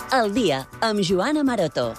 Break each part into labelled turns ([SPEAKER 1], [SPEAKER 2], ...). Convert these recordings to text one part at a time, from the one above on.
[SPEAKER 1] Al dia, amb Joana Maroto.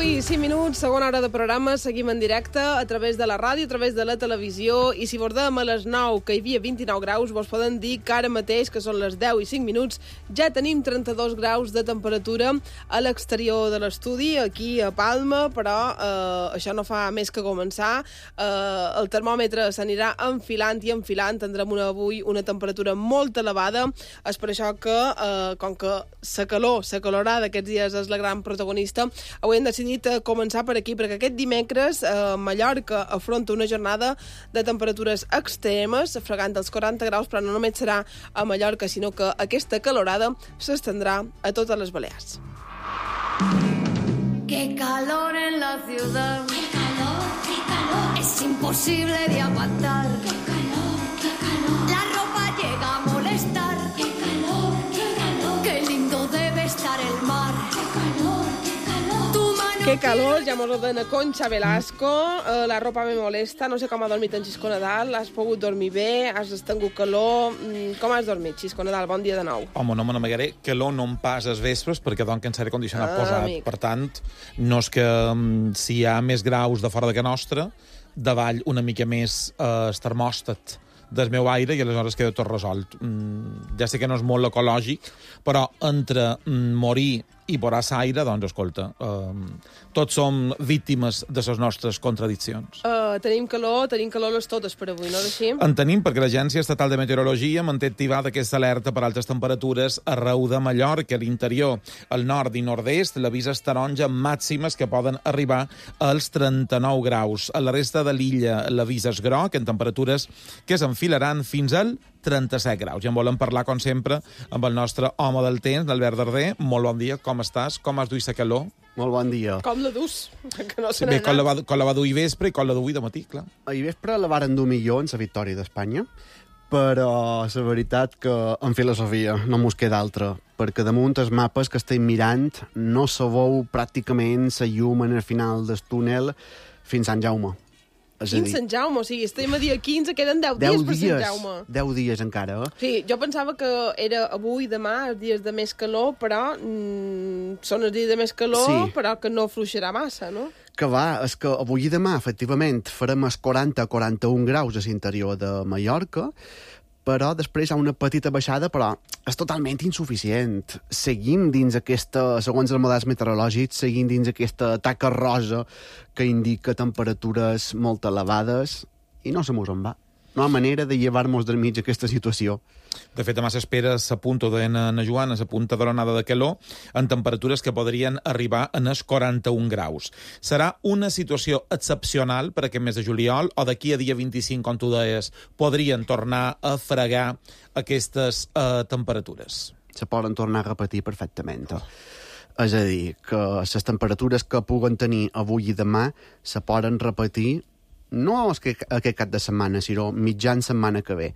[SPEAKER 2] I 5 minuts, segona hora de programa, seguim en directe a través de la ràdio, a través de la televisió, i si bordem a les 9, que hi havia 29 graus, vos poden dir que ara mateix, que són les 10 i 5 minuts, ja tenim 32 graus de temperatura a l'exterior de l'estudi, aquí a Palma, però això no fa més que començar. El termòmetre s'anirà enfilant i enfilant, tindrem avui una temperatura molt elevada. És per això que, com que la calorada d'aquests dies és la gran protagonista, avui hem decidit començar per aquí, perquè aquest dimecres Mallorca afronta una jornada de temperatures extremes, fregant els 40 graus, però no només serà a Mallorca, sinó que aquesta calorada s'estendrà a totes les Balears.
[SPEAKER 3] Qué calor en la ciudad. Qué calor, qué calor. Es imposible de aguantar. Qué calor, qué calor. La ropa llega a molestar. Qué calor, qué calor. Qué lindo debe estar el mar. Qué calor, qué calor. Tu mano.
[SPEAKER 2] Que calor, ja mos ordena Concha Velasco. La ropa me molesta. No sé com ha dormit en Xisco Nadal. Has pogut dormir bé? Has tingut calor? Com has dormit, Xisco Nadal? Bon dia de nou.
[SPEAKER 4] Home, no me n'amagaré. Calor no em pas als vespres perquè doncs que en l'aire condicionat posat.
[SPEAKER 2] Amic.
[SPEAKER 4] Per tant, no és que si hi ha més graus de fora de que nostra, davall una mica més el termòstat del meu aire i aleshores queda tot resolt. Ja sé que no és molt ecològic, però entre morir i posar l'aire, doncs, escolta, tots som víctimes de les nostres contradiccions.
[SPEAKER 2] Tenim calor les totes per avui, no és així?
[SPEAKER 4] En tenim, perquè l'Agència Estatal de Meteorologia manté activada aquesta alerta per altes temperatures arreu de Mallorca, a l'interior, al nord i nord-est, l'avís és taronja màximes que poden arribar als 39 graus. A la resta de l'illa l'avís és groc, en temperatures que s'enfilaran fins al 37 graus. I en volem parlar, com sempre, amb el nostre home del temps, l'Albert Darder. Molt bon dia, com estàs? Com has duit la calor?
[SPEAKER 5] Molt bon dia.
[SPEAKER 2] Com la dus? Que no se
[SPEAKER 4] Bé,
[SPEAKER 2] n'ha anat.
[SPEAKER 4] com la va dur ahir vespre i com la dur avui de matí, clar.
[SPEAKER 5] Ahir vespre la varen dur millor en la victòria d'Espanya, però la veritat que en filosofia no mos queda altra, perquè damunt els mapes que estem mirant no se veu pràcticament la llum en el final del túnel fins a Sant Jaume. És a
[SPEAKER 2] Quin
[SPEAKER 5] dir,
[SPEAKER 2] Sant Jaume? O sigui, estem a dia 15, queden 10 dies per Sant Jaume.
[SPEAKER 5] 10 dies encara, eh?
[SPEAKER 2] Sí, jo pensava que era avui, demà, els dies de més calor, però són els dies de més calor,
[SPEAKER 5] Sí.
[SPEAKER 2] però que no fluixarà massa, no?
[SPEAKER 5] Que va, és que avui i demà, efectivament, farem els 40-41 graus a l'interior de Mallorca, però després hi ha una petita baixada, però és totalment insuficient. Seguim dins aquesta, segons els models meteorològics, seguim dins aquesta taca rosa que indica temperatures molt elevades i no se mos en va. No hi ha manera de llevar-nos del mig aquesta situació.
[SPEAKER 4] De fet, demà s'espera, s'apunta, ho deien a Joana, s'apunta de l'onada de calor en temperatures que podrien arribar en els 41 graus. Serà una situació excepcional per aquest mes de juliol, o d'aquí a dia 25, com tu deies, podrien tornar a fregar aquestes temperatures?
[SPEAKER 5] Se poden tornar a repetir perfectament. És a dir, que les temperatures que puguen tenir avui i demà se poden repetir no aquest cap de setmana, sinó mitjan setmana que ve.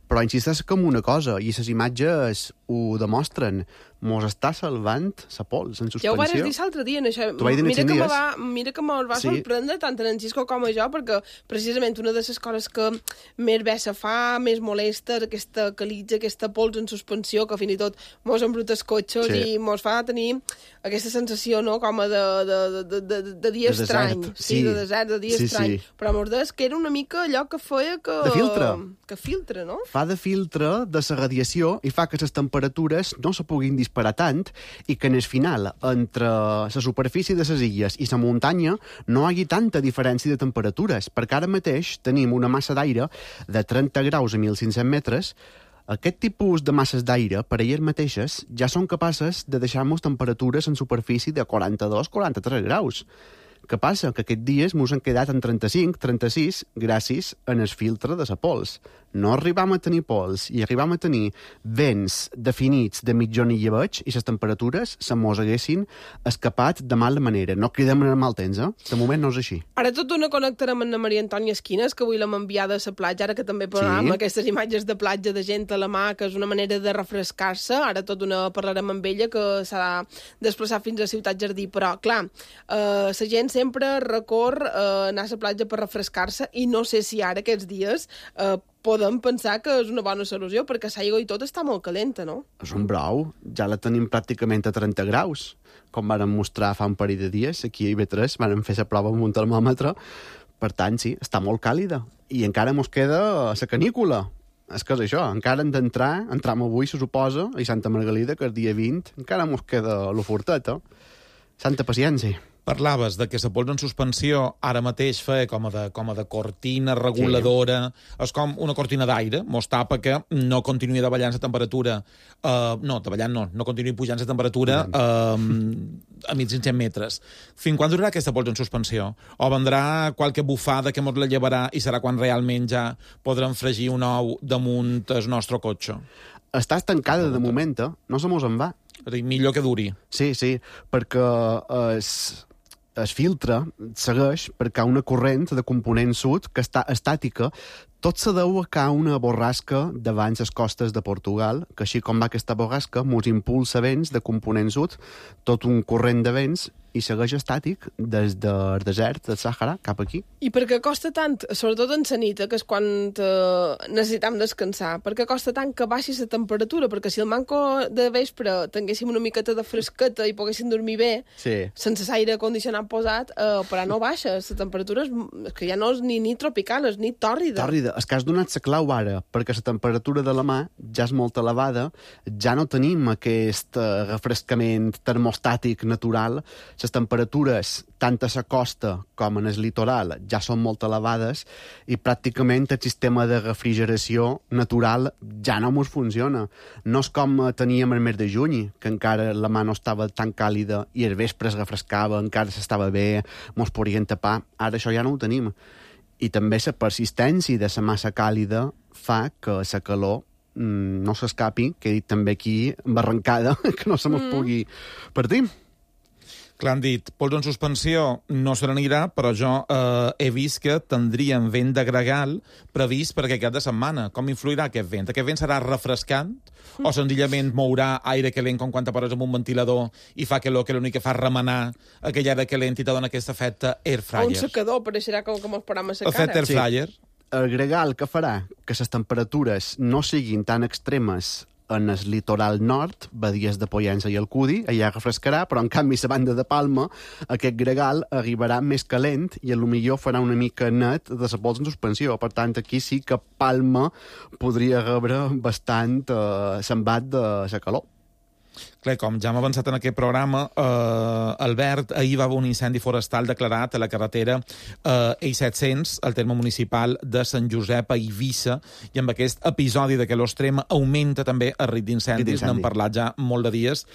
[SPEAKER 5] Però insisteix com una cosa, i les imatges ho demostren. Mos està salvant la pols en suspensió.
[SPEAKER 2] Ja ho vares dir l'altre dia, en això.
[SPEAKER 5] T'ho vaig dir en 5 dies.
[SPEAKER 2] Mira que me'l va
[SPEAKER 5] Sí.
[SPEAKER 2] sorprendre tant en Xisco com a jo, perquè precisament una de les coses que més bé se fa, més molesta, és aquesta calitja, aquesta pols en suspensió, que fins i tot mos embruta els cotxes
[SPEAKER 5] Sí.
[SPEAKER 2] i mos fa tenir aquesta sensació, no?, com a de dia
[SPEAKER 5] De
[SPEAKER 2] estrany.
[SPEAKER 5] desert,
[SPEAKER 2] Sí,
[SPEAKER 5] sí.
[SPEAKER 2] de desert, de dia
[SPEAKER 5] Sí,
[SPEAKER 2] estrany.
[SPEAKER 5] sí.
[SPEAKER 2] Però mos des que era una mica allò que feia que...
[SPEAKER 5] De filtre.
[SPEAKER 2] Que filtre, no?
[SPEAKER 5] Fa de filtre de la radiació i fa que les temperatures no se puguin disparar tant i que en el final, entre la superfície de les illes i la muntanya, no hi hagi tanta diferència de temperatures, perquè ara mateix tenim una massa d'aire de 30 graus a 1.500 metres. Aquest tipus de masses d'aire, per elles mateixes, ja són capaces de deixar-nos temperatures en superfície de 42-43 graus. Què passa? Que aquests dies mos han quedat en 35, 36, gràcies en el filtre de la pols. no arribam a tenir pols i arribam a tenir vents definits de mitjon i llebeig i les temperatures se mos haguessin escapat de mala manera. No cridem en el mal temps, De moment no és així.
[SPEAKER 2] Ara tot una connectarem amb la Maria Antònia Esquines, que avui l'hem enviada a la platja, ara que també posarem aquestes imatges de platja de gent a la mà, que és una manera de refrescar-se. Ara tot una parlarem amb ella, que s'ha de desplaçar fins a Ciutat Jardí. Però, clar, la gent sempre recorre anar a la platja per refrescar-se i no sé si ara, aquests dies, podem pensar que és una bona solució, perquè l'aigua i tot està molt calenta, no?
[SPEAKER 5] És un brou. Ja la tenim pràcticament a 30 graus, com varen mostrar fa un parell de dies. Aquí a IB3 varen fer la prova amb un termòmetre. Per tant, sí, està molt càlida. I encara mos queda la canícula. És que és això, encara hem d'entrar, entram avui, se suposa, a Santa Margalida, que és dia 20, encara mos queda l'oferteta. Santa paciència.
[SPEAKER 4] Parlaves de que la pols en suspensió ara mateix fa com a de cortina reguladora. Sí. És com una cortina d'aire, mos tapa que no continuï davallant la temperatura. No continuï pujant la temperatura a 1.500 metres. Fins quan durarà aquesta pols en suspensió? O vendrà qualque bufada que mos la llevarà i serà quan realment ja podrem fregir un ou damunt el nostre cotxe?
[SPEAKER 5] Està estancada de moment, no se mos en va.
[SPEAKER 4] Millor que duri.
[SPEAKER 5] Sí, perquè es filtra, segueix, perquè hi ha una corrent de component sud que està estàtica. Tot se deu a que hi ha una borrasca davant les costes de Portugal, que així com va aquesta borrasca, mos impulsa vents de component sud, tot un corrent de vents, i segueix estàtic des del desert del Sàhara cap aquí.
[SPEAKER 2] I per què costa tant, sobretot en la nit, que és quan necessitam descansar, per què costa tant que baixi la temperatura? Perquè si el manco de vespre tinguéssim una miqueta de fresqueta i poguéssim dormir bé, sense aire condicionat posat, però no baixa, la temperatura és que ja no és ni tropical, és ni tòrrida.
[SPEAKER 5] És que has donat la clau ara, perquè la temperatura de la mà ja és molt elevada, ja no tenim aquest refrescament termostàtic natural. Les temperatures, tant a la costa com en el litoral, ja són molt elevades i pràcticament el sistema de refrigeració natural ja no mos funciona. No és com teníem el mes de juny, que encara la mà no estava tan càlida i el vespre es refrescava, encara s'estava bé, mos podien tapar. Ara això ja no ho tenim. I també la persistència de la massa càlida fa que la calor no s'escapi, que he dit també aquí, barrancada, que no se mos pugui partir.
[SPEAKER 4] Clar, han dit, pols en suspensió no se n'anirà, però jo he vist que tindríem vent de gregal previst per aquest cap de setmana. Com influirà aquest vent? Aquest vent serà refrescant o senzillament mourà aire calent com quan te poses amb un ventilador i fa que l'únic que fa remenar aquell aire calent i te dona aquest efecte air fryer?
[SPEAKER 2] O un secador, pareixerà com els programes a cara.
[SPEAKER 4] Efecte air fryer.
[SPEAKER 5] El gregal que farà que les temperatures no siguin tan extremes en el litoral nord, badies de Pollença i Alcúdia, allà refrescarà, però en canvi a la banda de Palma aquest gregal arribarà més calent i potser farà una mica net de la pols en suspensió. Per tant, aquí sí que Palma podria rebre bastant sembat de la calor.
[SPEAKER 4] Clar, com ja hem avançat en aquest programa, Albert, ahir va haver un incendi forestal declarat a la carretera I-700, al terme municipal de Sant Josep a Eivissa, i amb aquest episodi de que l'Ostrema augmenta també el risc d'incendis, n'hem parlat ja molt de dies,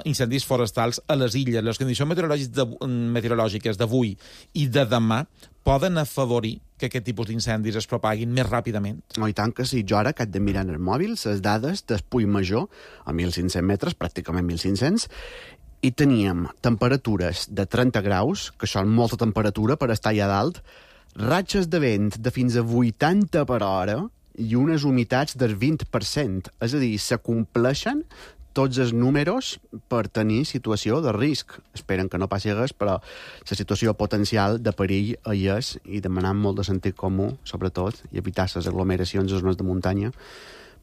[SPEAKER 4] incendis forestals a les illes. Les condicions meteorològiques d'avui i de demà poden afavorir que aquest tipus d'incendis es propaguin més ràpidament?
[SPEAKER 5] No, i tant que sí. Jo ara que haig de mirar en el mòbil les dades del Puig Major, a 1.500 metres, pràcticament 1.500, i teníem temperatures de 30 graus, que són molta temperatura per estar allà dalt, ratxes de vent de fins a 80 per hora i unes humitats del 20%. És a dir, se compleixen tots els números per tenir situació de risc. Esperen que no passi res, però la situació potencial de perill hi és, i demanant molt de sentit comú, sobretot, i evitar les aglomeracions a zones de muntanya,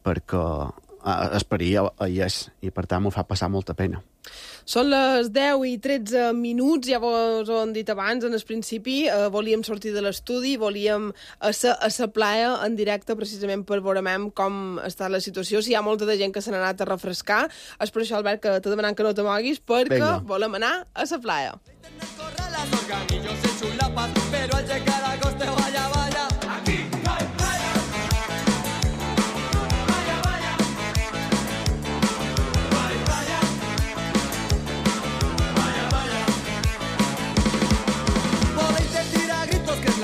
[SPEAKER 5] perquè el perill hi és, i per tant m'ho fa passar molta pena.
[SPEAKER 2] Són les 10 i 13 minuts, ja vos ho hem dit abans, en el principi volíem sortir de l'estudi, volíem ser a la playa en directe precisament per veure com està la situació, si hi ha molta de gent que se n'ha anat a refrescar. És per això, Albert, que t'he demanat que no te moguis, perquè volem anar a la playa.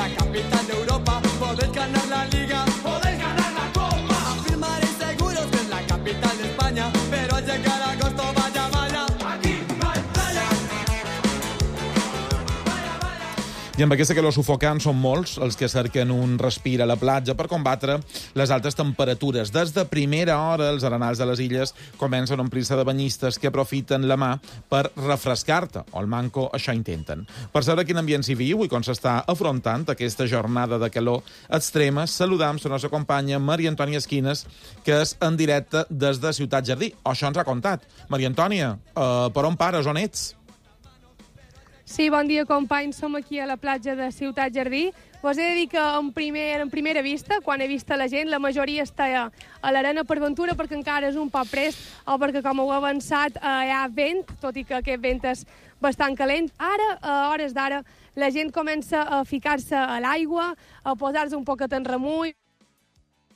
[SPEAKER 6] Capital de Europa, podéis ganar la Liga, podéis ganar
[SPEAKER 4] I amb aquesta calor sufocant són molts els que cerquen un respir a la platja per combatre les altes temperatures. Des de primera hora, els arenals de les illes comencen a omplir-se de banyistes que aprofiten la mà per refrescar-te, o el manco això intenten. Per saber quin ambient s'hi viu i com s'està afrontant aquesta jornada de calor extrema, saludam la nostra companya Maria Antònia Esquines, que és en directe des de Ciutat Jardí. O això ens ha contat. Maria Antònia, per on pares, on ets?
[SPEAKER 6] Sí, bon dia, companys. Som aquí a la platja de Ciutat Jardí. Us he de dir que en primera vista, quan he vist la gent, la majoria està a l'arena per ventura perquè encara és un poc prest o perquè, com heu avançat, hi ha vent, tot i que aquest vent és bastant calent. Ara, a hores d'ara, la gent comença a ficar-se a l'aigua, a posar-se un poquet en remull,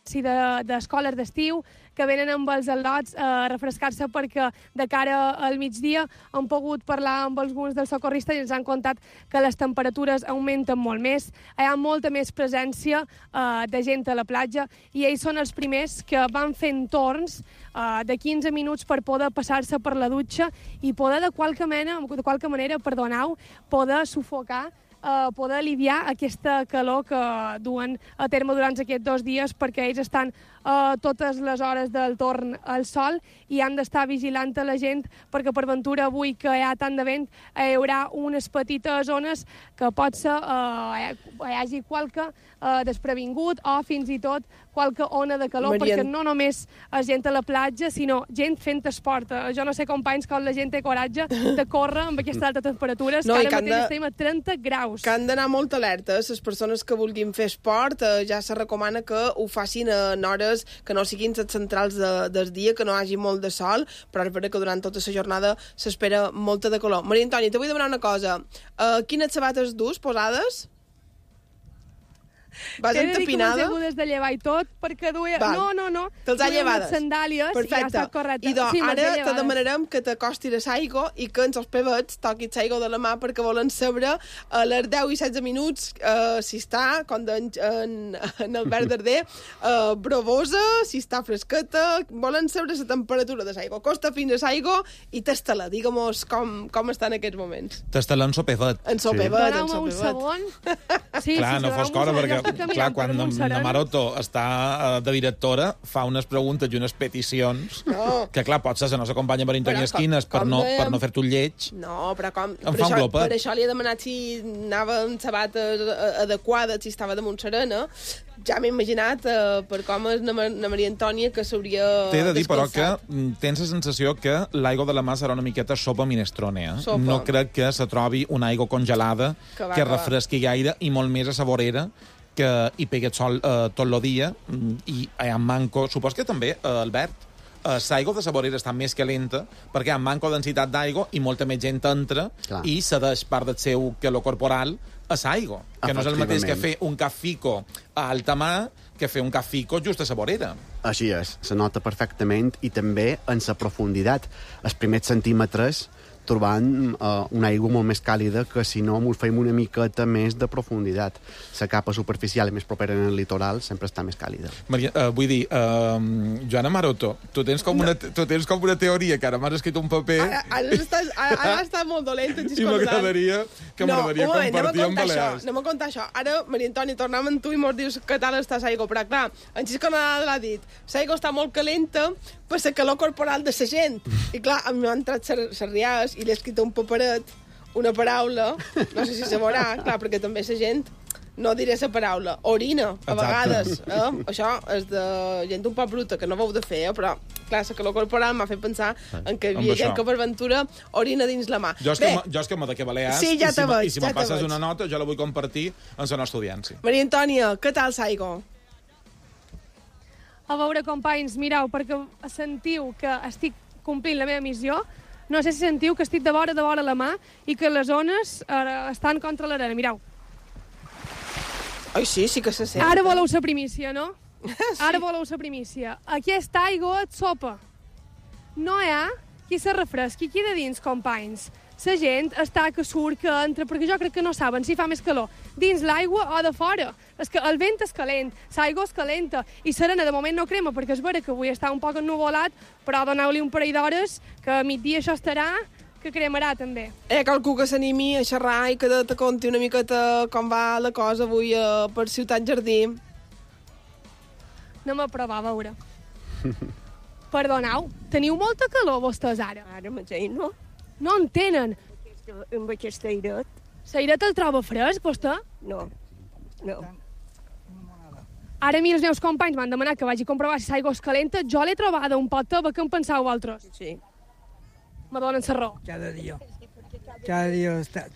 [SPEAKER 6] d'escoles d'estiu, que venen amb els al·lots a refrescar-se perquè de cara al migdia han pogut parlar amb alguns dels socorristes i ens han contat que les temperatures augmenten molt més. Hi ha molta més presència de gent a la platja i ells són els primers que van fent torns de 15 minuts per poder passar-se per la dutxa i poder de qualque manera, poder sufocar, poder aliviar aquesta calor que duen a terme durant aquests 2 dies perquè ells estan totes les hores del torn al sol i han d'estar vigilant a la gent perquè per ventura avui que hi ha tant de vent hi haurà unes petites zones que pot ser hi hagi qualque desprevingut o fins i tot qualque ona de calor, perquè no només és gent a la platja, sinó gent fent esport. Jo no sé, companys, com la gent té coratge de córrer amb aquestes altes temperatures, que ara mateix estem a 30 graus.
[SPEAKER 2] Que han d'anar molt alertes. Les persones que vulguin fer esport ja se recomana que ho facin en hores que no siguin les centrals del dia, que no hi hagi molt de sol, però és veritat que durant tota la jornada s'espera molta de calor. Maria Antònia, te vull demanar una cosa. Quines sabates dus posades? Vas entapinada?
[SPEAKER 6] T'he de dir que m'he de llevar i tot, perquè duia...
[SPEAKER 2] Val.
[SPEAKER 6] No.
[SPEAKER 2] Te'ls ha llevades?
[SPEAKER 6] Sandàlies.
[SPEAKER 2] Perfecte.
[SPEAKER 6] I ja està correcte.
[SPEAKER 2] I
[SPEAKER 6] sí,
[SPEAKER 2] ara te demanarem que t'acostis a l'aigua i que ens els pebets toquis l'aigua de la mà perquè volen saber a les 10 i 16 minuts si està, com en Albert Darder, bravosa, si està fresqueta, volen saber la temperatura de l'aigua. Costa fins a l'aigua i tasta-la. Digue-mos com està en aquests moments.
[SPEAKER 4] Tasta-la en sopefet.
[SPEAKER 2] En sopefet.
[SPEAKER 6] Doneu-me un segon.
[SPEAKER 4] Clar, no fos cosa, perquè clar, quan la Maroto està de directora, fa unes preguntes i unes peticions que, clar, potser la nostra companya Maria Antònia Esquines per no fer-te un lleig.
[SPEAKER 2] No, però com...
[SPEAKER 4] Per
[SPEAKER 2] això li he demanat si anava amb sabates adequades, si estava damunt serena. Ja m'he imaginat, per com és la Maria Antònia, que s'hauria descansat.
[SPEAKER 4] T'he de dir, però, que tens la sensació que l'aigua de la mà serà una miqueta sopa minestrone. No crec que se trobi una aigua congelada que refresqui gaire i molt més a saborera, que hi pegui el sol tot el dia i a manco... Supos que també, Albert, l'aigua de saborera està més calenta perquè hi ha manco densitat d'aigua i molta més gent entra i cedeix part del seu calor corporal a l'aigua, que no és el mateix que fer un cafico a alta mà que fer un cafico just a saborera.
[SPEAKER 5] Així és, se nota perfectament i també en la profunditat. Els primers centímetres trobant una aigua molt més càlida que si no ens fem una miqueta més de profunditat. La capa superficial més propera en el litoral sempre està més càlida.
[SPEAKER 4] Maria, vull dir, Joana Maroto, tu tens com una teoria que ara m'has escrit un paper...
[SPEAKER 2] Ara està molt dolent.
[SPEAKER 4] I m'agradaria compartir amb Balears.
[SPEAKER 2] Anem a contar això. Ara, Maria Antònia, tornem amb tu i mos dius què tal està l'aigua. Però clar, en Xisco Nadal l'ha dit, l'aigua està molt calenta per la calor corporal de la gent. I clar, a mi m'han entrat les riades i l'he escrit un paperet, una paraula, no sé si se veurà, clar, perquè també la gent, no diré la paraula, orina, a vegades. Això és de gent un poc bruta, que no ho heu de fer, però, clar, la calor corporal m'ha fet pensar en que hi havia gent que per ventura orina dins la mà.
[SPEAKER 4] Jo és que m'ho de que Balears,
[SPEAKER 2] sí, ja
[SPEAKER 4] i si me passes una nota, jo la vull compartir amb la nostra audiència.
[SPEAKER 2] Maria Antònia, què tal l'aigua?
[SPEAKER 6] A veure, companys, mireu, perquè sentiu que estic complint la meva missió. No sé si sentiu que estic de vora la mà i que les ones estan contra l'arena. Mireu.
[SPEAKER 2] Ai, sí que se sent.
[SPEAKER 6] Ara voleu la primícia, no? Sí. Ara voleu la primícia. Aquesta aigua et sopa. No hi ha qui se refresqui aquí de dins, companys. La gent està que surt, que entra, perquè jo crec que no saben si fa més calor dins l'aigua o de fora. És que el vent és calent, l'aigua és calenta, i serena de moment no crema, perquè és vera que avui està un poc ennuvolat, però doneu-li un parell d'hores, que a migdia això estarà que cremarà, també.
[SPEAKER 2] Qualcú que s'animi a xerrar i que te conti una miqueta com va la cosa avui per Ciutat Jardí.
[SPEAKER 6] Anem a provar, a veure. Perdoneu, teniu molta calor vostès ara?
[SPEAKER 7] Ara mateix no.
[SPEAKER 6] No en tenen.
[SPEAKER 7] Amb aquest airet,
[SPEAKER 6] L'airet el troba fresc, vostè?
[SPEAKER 7] no.
[SPEAKER 6] Ara mira, els meus companys m'han demanat que vagi a comprovar si l'aigua és calenta. Jo l'he trobada un pot teva. Què en penseu vosaltres?
[SPEAKER 7] Sí.
[SPEAKER 6] Me donen la raó.
[SPEAKER 8] Cada dia. Cada dia està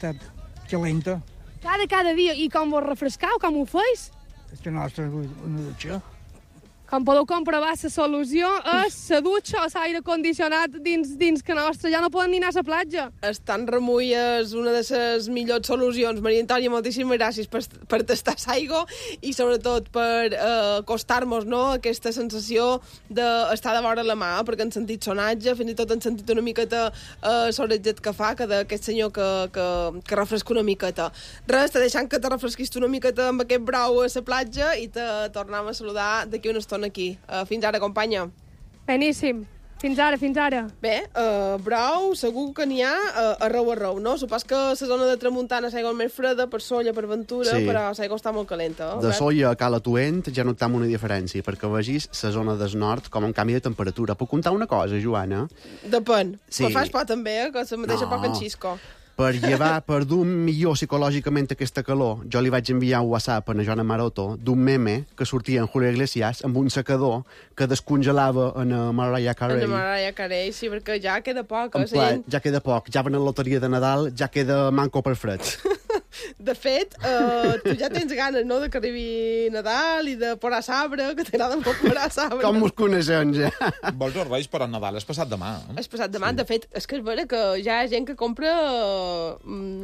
[SPEAKER 8] calenta.
[SPEAKER 6] Cada dia. I com vos refrescau? Com ho feis?
[SPEAKER 8] És que nostra és una dutxa.
[SPEAKER 6] Com podeu comprovar, la solució és la dutxa o l'aire condicionat dins que nostra. Ja no poden ni anar a la platja.
[SPEAKER 2] Estan remull és una de les millors solucions. Maria Antònia, moltíssimes gràcies per tastar l'aigua i sobretot per acostar-nos, no?, aquesta sensació d'estar de vora la mà, perquè han sentit sonatge, fins i tot han sentit una miqueta sorretget que fa, que d'aquest senyor que refresca una miqueta. Res, te deixant que te refresquis una miqueta amb aquest brau a la platja i te tornem a saludar d'aquí una estona aquí. Fins ara, companya.
[SPEAKER 6] Beníssim. Fins ara, fins ara.
[SPEAKER 2] Bé, brou, segur que n'hi ha arreu, no? Supos que la zona de tramuntana l'aigua més freda, per Solla, per Ventura,
[SPEAKER 5] Sí.
[SPEAKER 2] però l'aigua està molt calenta.
[SPEAKER 5] De Solla a Cala Tuent ja notam una diferència, perquè vegis la zona del nord com un canvi de temperatura. Puc contar una cosa, Joana?
[SPEAKER 2] Depèn.
[SPEAKER 5] Sí.
[SPEAKER 2] Però fas por també, que se mateixa poc en Xisco.
[SPEAKER 5] Per llevar, per dur millor psicològicament aquesta calor, jo li vaig enviar un WhatsApp a Joana Maroto d'un meme que sortia en Julio Iglesias amb un secador que descongelava en Mariah Carey.
[SPEAKER 2] En Mariah Carey, sí, perquè ja queda poc.
[SPEAKER 5] En pla, ja queda poc, ja van a la loteria de Nadal, ja queda manco per fred.
[SPEAKER 2] De fet, tu ja tens ganes, no?, de que arribi Nadal i de posar sabre, que t'agrada molt posar sabre.
[SPEAKER 5] Com mos coneixem, ja?
[SPEAKER 4] Vols els Reis, però Nadal és passat demà.
[SPEAKER 2] És passat demà. Sí. De fet, és que és vera que ja hi ha gent que compra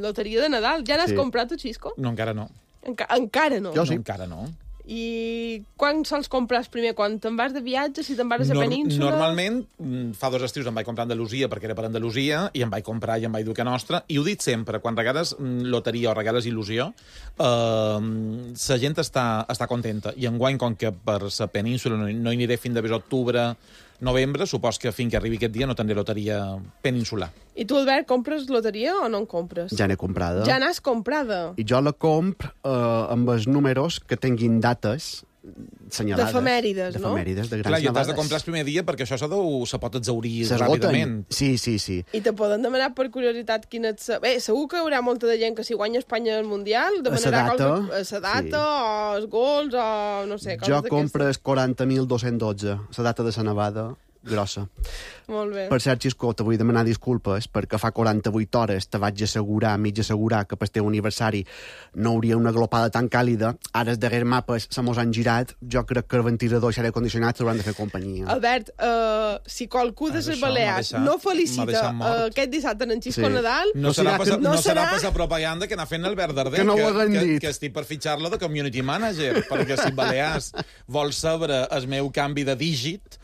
[SPEAKER 2] loteria de Nadal. Ja n'has comprat, tu, Xisco?
[SPEAKER 4] No, encara no.
[SPEAKER 2] Encara no.
[SPEAKER 5] Jo sí.
[SPEAKER 4] No, encara no.
[SPEAKER 2] I quan sols compres primer? Quan te'n vas de viatge? Si te'n vas a la península?
[SPEAKER 4] Normalment, fa 2 estius em vaig comprar a Andalusia perquè era per Andalusia i em vaig comprar i em vaig dur que nostra. I ho dic sempre, quan regales loteria o regales il·lusió, la gent està contenta. I enguany, com que per la península no hi aniré fins a octubre, novembre, supos que fins que arribi aquest dia no tindré loteria peninsular.
[SPEAKER 2] I tu, Albert, compres loteria o no en compres?
[SPEAKER 5] Ja n'he comprada.
[SPEAKER 2] Ja n'has comprada?
[SPEAKER 5] I jo la compro amb els números que tinguin dates senyalades.
[SPEAKER 2] D'efemèrides, no?
[SPEAKER 5] D'efemèrides, de grans
[SPEAKER 4] Clar, i t'has de
[SPEAKER 5] nevades.
[SPEAKER 4] comprar el primer dia perquè això se pot exaurir
[SPEAKER 5] S'esgoten.
[SPEAKER 4] ràpidament.
[SPEAKER 5] Sí.
[SPEAKER 2] I te poden demanar per curiositat quina et... Bé, segur que hi haurà molta de gent que si guanya Espanya el Mundial demanarà la data o els gols o no sé, coses
[SPEAKER 5] Jo
[SPEAKER 2] d'aquestes.
[SPEAKER 5] compres 40.212, la data de la nevada grossa.
[SPEAKER 2] Molt bé.
[SPEAKER 5] Per cert, Xisco, te vull demanar disculpes perquè fa 48 hores te vaig mig assegurar que pel teu aniversari no hauria una glopada tan càlida. Ara els darrers mapes se mos han girat. Jo crec que el ventilador i l'aire condicionat s'hauran de fer companyia.
[SPEAKER 2] Albert, si qualcú de les
[SPEAKER 4] Això
[SPEAKER 2] Balears
[SPEAKER 4] m'ha
[SPEAKER 2] no
[SPEAKER 4] deixat
[SPEAKER 2] felicita
[SPEAKER 4] mort.
[SPEAKER 2] aquest dissabte en Xisco
[SPEAKER 5] Sí.
[SPEAKER 2] Nadal...
[SPEAKER 4] No serà pas la
[SPEAKER 2] serà...
[SPEAKER 4] propaganda que n'ha fet Albert Darder,
[SPEAKER 5] Que no ho haguem dit.
[SPEAKER 4] que estic per fitxar-lo de community manager, perquè si Balears vol saber el meu canvi de dígit,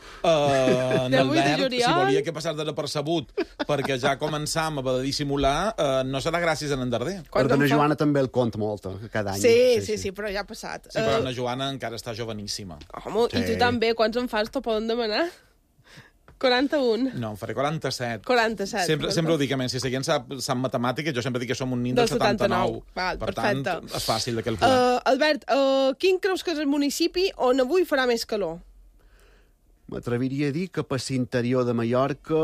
[SPEAKER 4] en
[SPEAKER 2] De 8 de
[SPEAKER 4] Albert, si
[SPEAKER 2] juliol.
[SPEAKER 4] volia que passés desapercebut, perquè ja començam a haver de dissimular, no serà gràcies a en Darder.
[SPEAKER 2] Quan
[SPEAKER 5] Perquè
[SPEAKER 2] em
[SPEAKER 5] la
[SPEAKER 2] fa-
[SPEAKER 5] Joana també el compta molt, cada any.
[SPEAKER 2] Sí, però ja ha passat.
[SPEAKER 4] Sí, però la Joana encara està joveníssima.
[SPEAKER 2] Home, i tu també, quants en fas t'ho poden demanar? 41.
[SPEAKER 4] No, em faré 47.
[SPEAKER 2] 47.
[SPEAKER 4] Sempre ho dic, a més, si seguint sap matemàtiques, jo sempre dic que som un nin del 79.
[SPEAKER 2] Val,
[SPEAKER 4] per
[SPEAKER 2] perfecte.
[SPEAKER 4] tant, és fàcil de calcular.
[SPEAKER 2] Albert, quin creus que és el municipi on avui farà més calor?
[SPEAKER 5] M'atreviria a dir que per l'interior de Mallorca,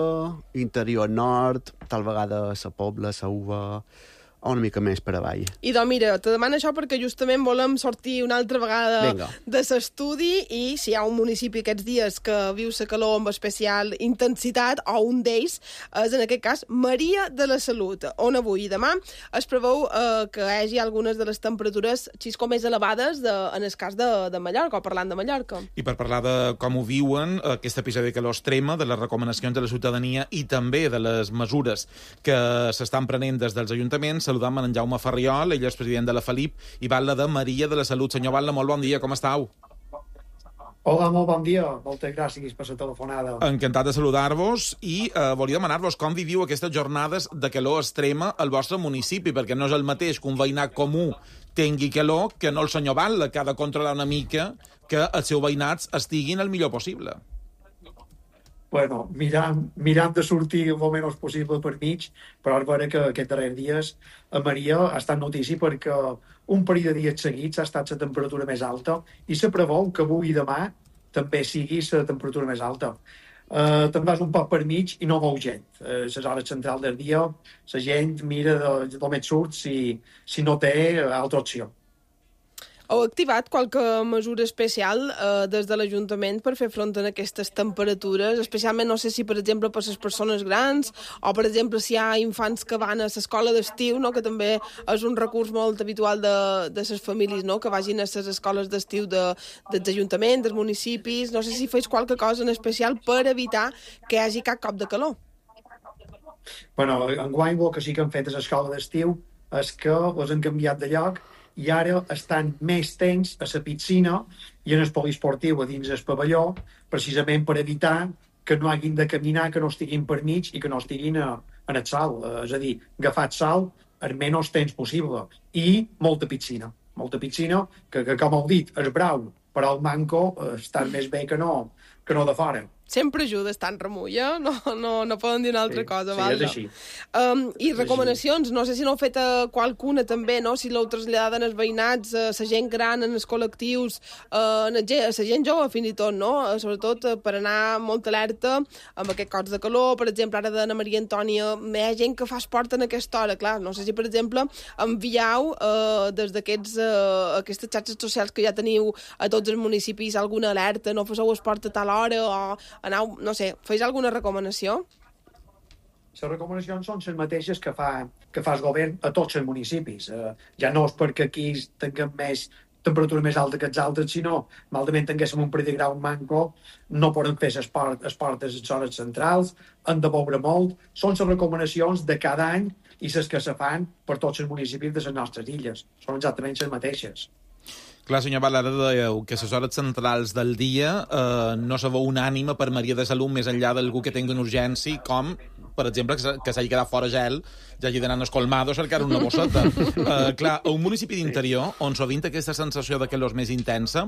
[SPEAKER 5] interior nord, tal vegada la Pobla, la Uva, o una mica més per avall.
[SPEAKER 2] I doncs mira, te demano això perquè justament volem sortir una altra vegada
[SPEAKER 5] Vinga.
[SPEAKER 2] de l'estudi i si hi ha un municipi aquests dies que viu la calor amb especial intensitat, o un d'ells, és en aquest cas Maria de la Salut, on avui i demà es preveu que hi hagi algunes de les temperatures xisco més elevades en el cas de Mallorca, o parlant de Mallorca.
[SPEAKER 4] I per parlar de com ho viuen, aquest episodi de calor extrema, de les recomanacions de la ciutadania i també de les mesures que s'estan prenent des dels ajuntaments, saludam en Jaume Ferriol, ell és president de la Felip, i Batlle de Maria de la Salut. Senyor Batlle, molt bon dia, com estàu?
[SPEAKER 9] Hola, molt bon dia. Moltes gràcies per la telefonada.
[SPEAKER 4] Encantat de saludar-vos i volia demanar-vos com viviu aquestes jornades de calor extrema al vostre municipi, perquè no és el mateix que un veïnat comú tingui calor que no el senyor Batlle, que ha de controlar una mica que els seus veïnats estiguin el millor possible.
[SPEAKER 9] bueno, mirant de sortir el menys possible per mig, però és vera que aquests darrers dies a Maria ha estat notícia perquè un parell de dies seguits ha estat la temperatura més alta i se preveu que avui i demà també sigui la temperatura més alta. Te'n vas un poc per mig i no veu gent. Les hores centrals del dia, la gent mira d'on et surt si no té altra opció.
[SPEAKER 2] Heu activat qualque mesura especial des de l'Ajuntament per fer front a aquestes temperatures? Especialment, no sé si, per exemple, per les persones grans o, per exemple, si hi ha infants que van a l'escola d'estiu, no? Que també és un recurs molt habitual de les famílies, no? Que vagin a les escoles d'estiu dels ajuntaments, dels municipis. No sé si feis qualque cosa en especial per evitar que hi hagi cap cop de calor.
[SPEAKER 9] Bueno, enguany el que sí que han fet a l'escola d'estiu és que les han canviat de lloc i ara estan més temps a la piscina i en el poliesportiu a dins el pavelló, precisament per evitar que no hagin de caminar, que no estiguin per mig i que no estiguin en el sol. És a dir, agafat sol el menys temps possible. I molta piscina, que com heu dit, és brau, però el manco està més bé que no de fora.
[SPEAKER 2] Sempre ajuda estar en remull, eh? No poden dir una altra cosa.
[SPEAKER 9] Sí, és així.
[SPEAKER 2] I recomanacions, no sé si n'heu fet qualcuna també, no? Si l'heu traslladat als veïnats, a la gent gran, en els col·lectius, a la gent jove fins i tot, no? Sobretot per anar molt alerta amb aquest cops de calor. Per exemple, ara d'Anna Maria Antònia, hi ha gent que fa esport en aquesta hora, clar. No sé si, per exemple, envieu des d'aquestes xarxes socials que ja teniu a tots els municipis alguna alerta, no faceu esport a tal hora o anau, no sé, feis alguna recomanació?
[SPEAKER 9] Les recomanacions són les mateixes que fa el govern a tots els municipis. Ja no és perquè aquí tinguem més temperatura més alta que els altres, sinó malament tinguéssim un parell de grau manco, no poden fer esport a les hores centrals, han de beure molt. Són les recomanacions de cada any i les que se fan per tots els municipis de les nostres illes. Són exactament les mateixes.
[SPEAKER 4] Clar, senyor Val, ara dèieu que les hores centrals del dia no se veu unànime per Maria de Salut més enllà d'algú que tingui una urgència, com, per exemple, que s'hagi quedat fora gel, ja hagi d'anar a Colmado a cercar una bosseta. Clar, a un municipi d'interior, on sovint aquesta sensació de calor és més intensa,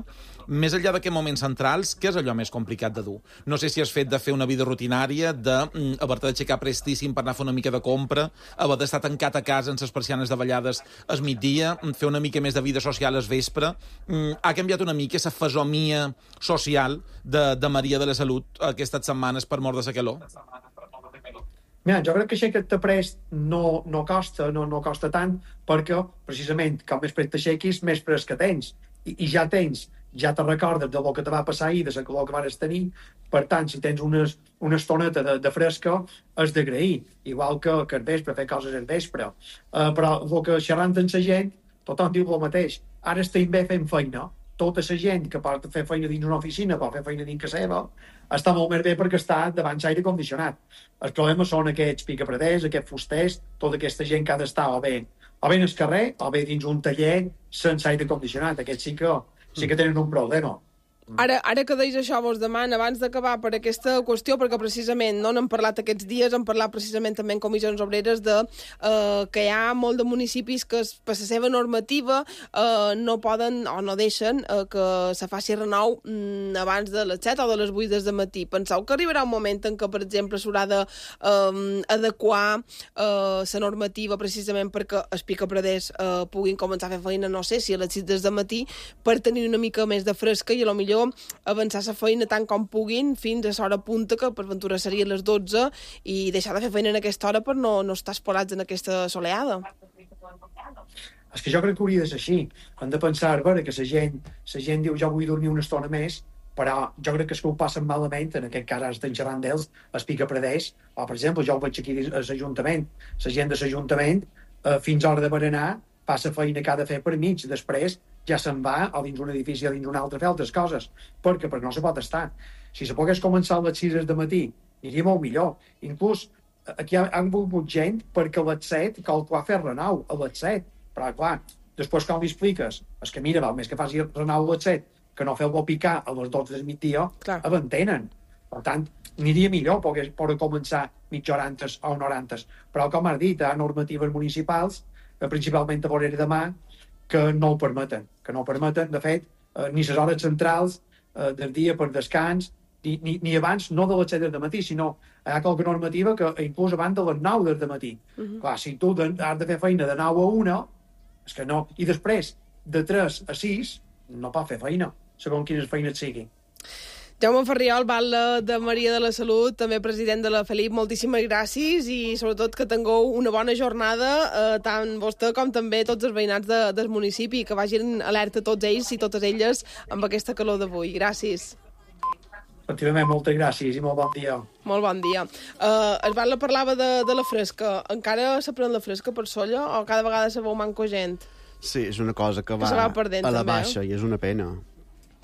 [SPEAKER 4] més enllà d'aquests moments centrals, què és allò més complicat de dur? No sé si has fet de fer una vida rutinària, d'haver-te d'aixecar prestíssim per anar a fer una mica de compra, haver d'estar tancat a casa amb les persianes davallades al migdia, fer una mica més de vida social al vespre. Ha canviat una mica la fesomia social de Maria de la Salut aquestes setmanes per mort de la calor?
[SPEAKER 9] Mira, jo crec que aixecar-te prest no costa tant, perquè, precisament, com més prest t'aixequis, més prest que tens. I ja te recordes del que te va passar ahir, de la calor que vas tenir. Per tant, si tens una estoneta de fresca, has d'agrair. Igual que al vespre, fer coses al vespre. Però el que xerrant amb la gent, tothom diu el mateix. Ara estem bé fent feina. Tota la gent que pot fer feina dins una oficina, pot fer feina dins casa seva, està molt més bé perquè està davant l'aire condicionat. El problema són aquests picapreders, aquests fusters, tota aquesta gent que ha d'estar o bé en el carrer o bé dins un taller sense aire condicionat. Aquests sí que tenen un problema.
[SPEAKER 2] Ara que deis això, vos demano, abans d'acabar per aquesta qüestió, perquè precisament no n'hem parlat aquests dies, hem parlat precisament també en comissions obreres que hi ha molt de municipis que per la seva normativa no poden o no deixen que se faci renou abans de les 7 o de les 8 del matí. Penseu que arribarà un moment en què, per exemple, s'haurà d'adequar la normativa precisament perquè els picapreders puguin començar a fer feina, no sé, si a les 6 del matí, per tenir una mica més de fresca i potser avançar la feina tant com puguin fins a l'hora punta, que per ventura seria a les 12, i deixar de fer feina en aquesta hora per no estar espolats en aquesta soleada.
[SPEAKER 9] És que jo crec que hauria de ser així. Hem de pensar, veure, que la gent diu jo vull dormir una estona més, però jo crec que ho passen malament, en aquest cas ara estem xerrant d'ells, els picapreders, o per exemple, jo ho veig aquí a l'Ajuntament, la gent de l'Ajuntament, fins a hora de berenar, fa la feina que ha de fer per mig, després ja se'n va o dins un edifici o dins un altre a fer altres coses, perquè no se pot estar. Si se pogués començar a les 6 del matí, aniria molt millor. Inclús aquí han volgut gent perquè a les 7 cal fer renou, a les 7. Però, clar, després com li expliques? És que mira, val més que faci renou a les 7 que no fer-lo picar a les 12 del migdia, abentenen. Per tant, aniria millor poder començar mitja hora antes o una hora antes. Però, com has dit, hi ha normatives municipals, principalment a Vorera de Mar, que no ho permeten. De fet, ni les hores centrals del dia per descans, ni abans, no de les 7 del matí, sinó hi ha qualque normativa que inclús abans de les 9 del matí. Clar, si tu has de fer feina de 9 a 1, és que no. I després, de 3 a 6, no pot fer feina, segons quines feines siguin.
[SPEAKER 2] Jaume Ferriol, batlle de Maria de la Salut, també president de la Felip, moltíssimes gràcies i sobretot que tingueu una bona jornada, tant vostè com també tots els veïnats del municipi, que vagin alerta tots ells i totes elles amb aquesta calor d'avui. Gràcies.
[SPEAKER 9] Efectivament, moltes gràcies i molt bon dia.
[SPEAKER 2] Molt bon dia. El batlle parlava de la fresca. Encara se pren la fresca per solla o cada vegada se veu manco gent?
[SPEAKER 5] Sí, és una cosa que va
[SPEAKER 2] va perdent,
[SPEAKER 5] a la
[SPEAKER 2] també,
[SPEAKER 5] baixa i és una pena,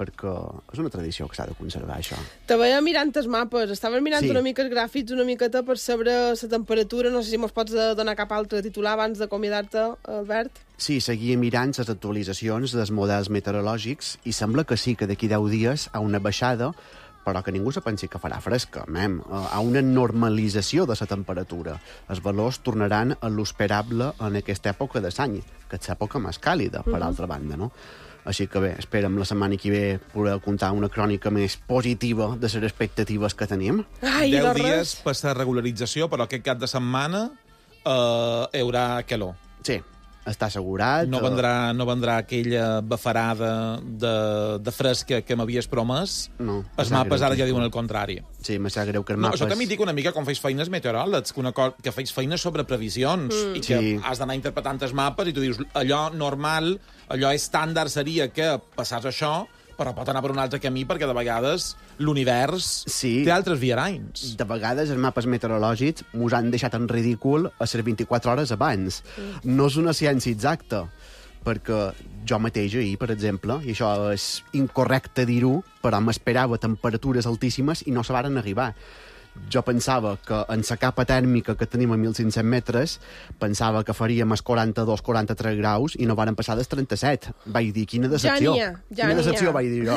[SPEAKER 5] perquè és una tradició que s'ha de conservar, això.
[SPEAKER 2] Te veia mirant els mapes, estaves mirant
[SPEAKER 5] Sí.
[SPEAKER 2] una mica els gràfics, una miqueta per saber la temperatura, no sé si mos pots donar cap altre titular abans d'acomiadar-te, Albert?
[SPEAKER 5] Sí, seguia mirant les actualitzacions dels models meteorològics i sembla que sí, que d'aquí 10 dies a una baixada, però que ningú se pensi que farà fresca, a una normalització de la temperatura. Els valors tornaran a l'esperable en aquesta època de l'any, que és l'època més càlida, per altra banda, no? Així que bé, esperem la setmana que ve poder contar una crònica més positiva de les expectatives que tenim.
[SPEAKER 2] Ai,
[SPEAKER 4] 10
[SPEAKER 2] de
[SPEAKER 4] dies
[SPEAKER 2] res.
[SPEAKER 4] per la regularització, però aquest cap de setmana hi haurà calor.
[SPEAKER 5] Sí, està assegurat.
[SPEAKER 4] No vendrà aquella bafarada de fresca que m'havies promès.
[SPEAKER 5] No.
[SPEAKER 4] Els mapes ara ja diuen el contrari.
[SPEAKER 5] Sí, me sap greu que els
[SPEAKER 4] No,
[SPEAKER 5] mapes...
[SPEAKER 4] això també dic una mica com feis feines meteoròlegs, que feis feines sobre previsions i que
[SPEAKER 5] Sí.
[SPEAKER 4] has d'anar interpretant els mapes i tu dius, allò normal, allò estàndard seria que passàs això, però pot anar per un altre camí perquè de vegades l'univers
[SPEAKER 5] Sí.
[SPEAKER 4] té altres viaranys.
[SPEAKER 5] De vegades els mapes meteorològics mos han deixat en ridícul a les 24 hores abans. No és una ciència exacta, perquè jo mateix ahir, per exemple, i això és incorrecte dir-ho, però m'esperava temperatures altíssimes i no se varen arribar. Jo pensava que en la capa tèrmica que tenim a 1.500 metres, pensava que faríem els 42-43 graus i no varen passar dels 37. Vaig dir, quina decepció.
[SPEAKER 2] Ja
[SPEAKER 5] Quina decepció, vaig dir jo.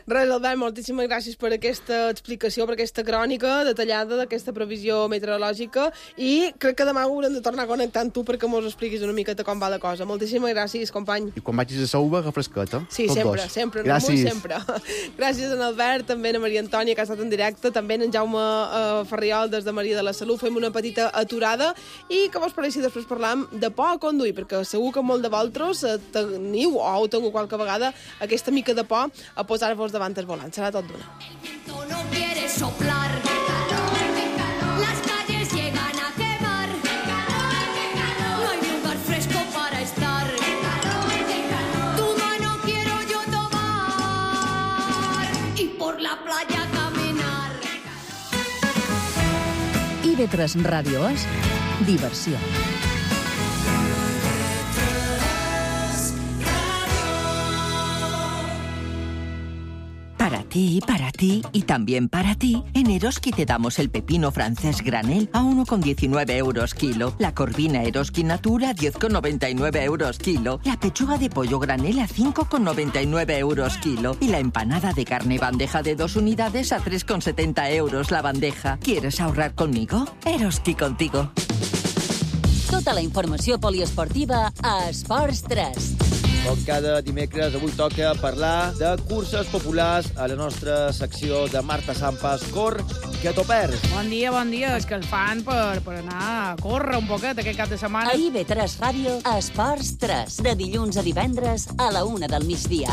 [SPEAKER 2] Res, Albert, moltíssimes gràcies per aquesta explicació, per aquesta crònica detallada d'aquesta previsió meteorològica i crec que demà haurem de tornar a connectar amb tu perquè mos expliquis una miqueta com va la cosa. Moltíssimes gràcies, company.
[SPEAKER 5] I quan vagis a Sauva, refresqueta.
[SPEAKER 2] Sí,
[SPEAKER 5] tots
[SPEAKER 2] sempre,
[SPEAKER 5] dos.
[SPEAKER 2] sempre, en
[SPEAKER 5] Gràcies.
[SPEAKER 2] sempre. Gràcies a en Albert, també a Maria Antònia, que ha estat en directe, també en Jaume Ferriol, des de Maria de la Salut. Fem una petita aturada i que vos pareixi després parlam de por a conduir, perquè segur que molt de vosaltres teniu o heu tingut qualque vegada aquesta mica de por a posar-vos davant el volant. Serà tot d'una.
[SPEAKER 3] No quiere soplar. Las calles llegan a quemar. No hay lugar fresco para estar. Tu mano quiero yo tomar y por la playa caminar.
[SPEAKER 1] IB3 Ràdio és diversió.
[SPEAKER 10] Para ti y también para ti, en Eroski te damos el pepino francés granel a 1,19 euros kilo, la corvina Eroski Natura a 10,99 euros kilo, la pechuga de pollo granel a 5,99 euros kilo y la empanada de carne bandeja de 2 unidades a 3,70 euros la bandeja. ¿Quieres ahorrar conmigo? Eroski contigo.
[SPEAKER 1] Tota la informació poliesportiva a Esports 3.
[SPEAKER 11] Com cada dimecres, avui toca parlar de curses populars a la nostra secció de Marta Sampas, Cor que t'ho perds.
[SPEAKER 12] Bon dia. És que el fan per anar a córrer un poquet aquest cap de setmana.
[SPEAKER 1] A IB3 Ràdio, Esports 3. De dilluns a divendres a la 1 del migdia.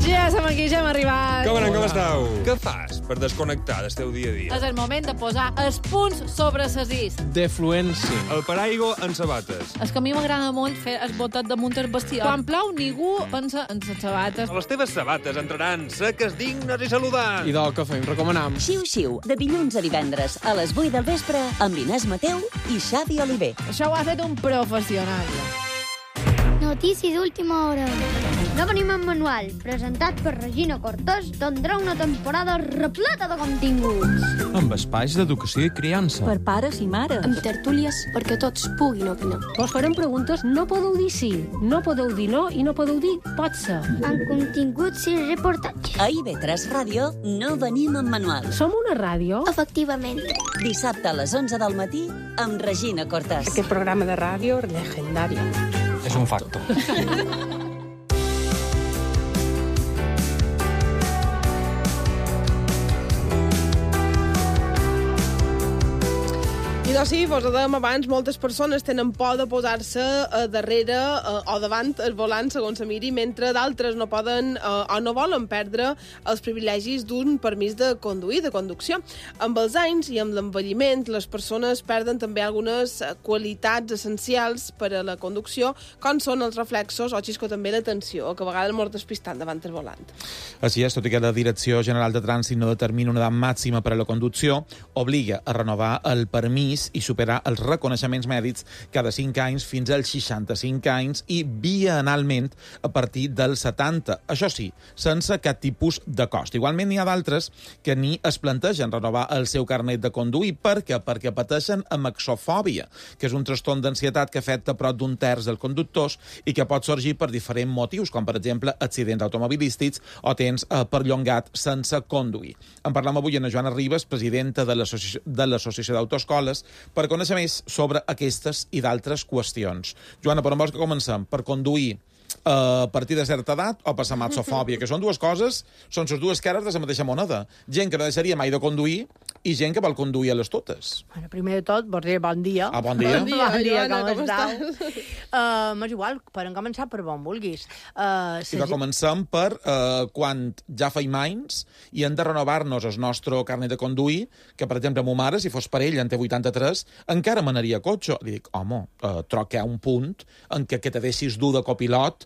[SPEAKER 6] Ja som aquí, ja hem arribat.
[SPEAKER 13] Com anem, com esteu? Què fas per desconnectar del teu dia a dia?
[SPEAKER 14] És el moment de posar els punts sobre ses is.
[SPEAKER 13] Defluència. El paraigua en sabates.
[SPEAKER 14] És que a mi m'agrada molt fer el botet damunt el bestiar. Quan plou, ningú pensa en les sabates.
[SPEAKER 13] Les teves sabates entraran seques, dignes i saludants.
[SPEAKER 15] I del que fem, recomanam.
[SPEAKER 1] Xiu-xiu, de dilluns a divendres a les 8 del vespre amb Inés Mateu i Xavi Oliver.
[SPEAKER 14] Això ho ha fet un professional.
[SPEAKER 16] Notícies d'última hora. No venim en manual, presentat per Regina Cortés, tindrà una temporada repleta de continguts.
[SPEAKER 15] Amb espais d'educació i criança.
[SPEAKER 17] Per pares i mares.
[SPEAKER 18] Amb tertúlies perquè tots puguin opinar.
[SPEAKER 17] Vos farem preguntes, no podeu dir sí, no podeu dir no i no podeu dir pot ser.
[SPEAKER 16] Amb continguts i reportatges.
[SPEAKER 1] A IB3 Ràdio no venim en manual.
[SPEAKER 17] Som una ràdio?
[SPEAKER 16] Efectivament.
[SPEAKER 1] Dissabte a les 11 del matí amb Regina Cortés.
[SPEAKER 18] Aquest programa de ràdio legendari.
[SPEAKER 15] És un facto.
[SPEAKER 2] Això sí, vos ho dèiem abans, moltes persones tenen por de posar-se darrere o davant el volant, segons se miri, mentre d'altres no poden o no volen perdre els privilegis d'un permís de conduir, de conducció. Amb els anys i amb l'envelliment, les persones perden també algunes qualitats essencials per a la conducció, com són els reflexos o xisco també l'atenció, que a vegades mos despistant davant el volant.
[SPEAKER 4] Així és, tot i que la Direcció General de Trànsit no determina una edat màxima per a la conducció, obliga a renovar el permís i superar els reconeixements mèdics cada 5 anys fins als 65 anys i bienalment a partir dels 70. Això sí, sense cap tipus de cost. Igualment n'hi ha d'altres que ni es plantegen renovar el seu carnet de conduir. Per què? Perquè pateixen amaxofòbia, que és un trastorn d'ansietat que afecta prop d'un terç dels conductors i que pot sorgir per diferents motius, com per exemple accidents automobilístics o temps perllongat sense conduir. En parlem avui amb Joana Ribas, presidenta de l'Associació d'Autoescoles, per conèixer més sobre aquestes i d'altres qüestions. Joana, per on vols que comencem? Per conduir a partir de certa edat o per la amaxofòbia, que són dues coses, són les dues cares de la mateixa moneda. Gent que no deixaria mai de conduir i gent que vol conduir a les totes.
[SPEAKER 19] Bueno, primer de tot, vos diré bon dia.
[SPEAKER 4] Ah, bon dia.
[SPEAKER 2] Bon dia, Joana, com estàs?
[SPEAKER 19] És igual, podem començar per on vulguis.
[SPEAKER 4] I que comencem per quan ja feim anys i hem de renovar-nos el nostre carnet de conduir, que, per exemple, ma mare, si fos per ell, en té 83, encara manaria cotxe. Li dic, home, troc que hi ha un punt en què te deixis dur de copilot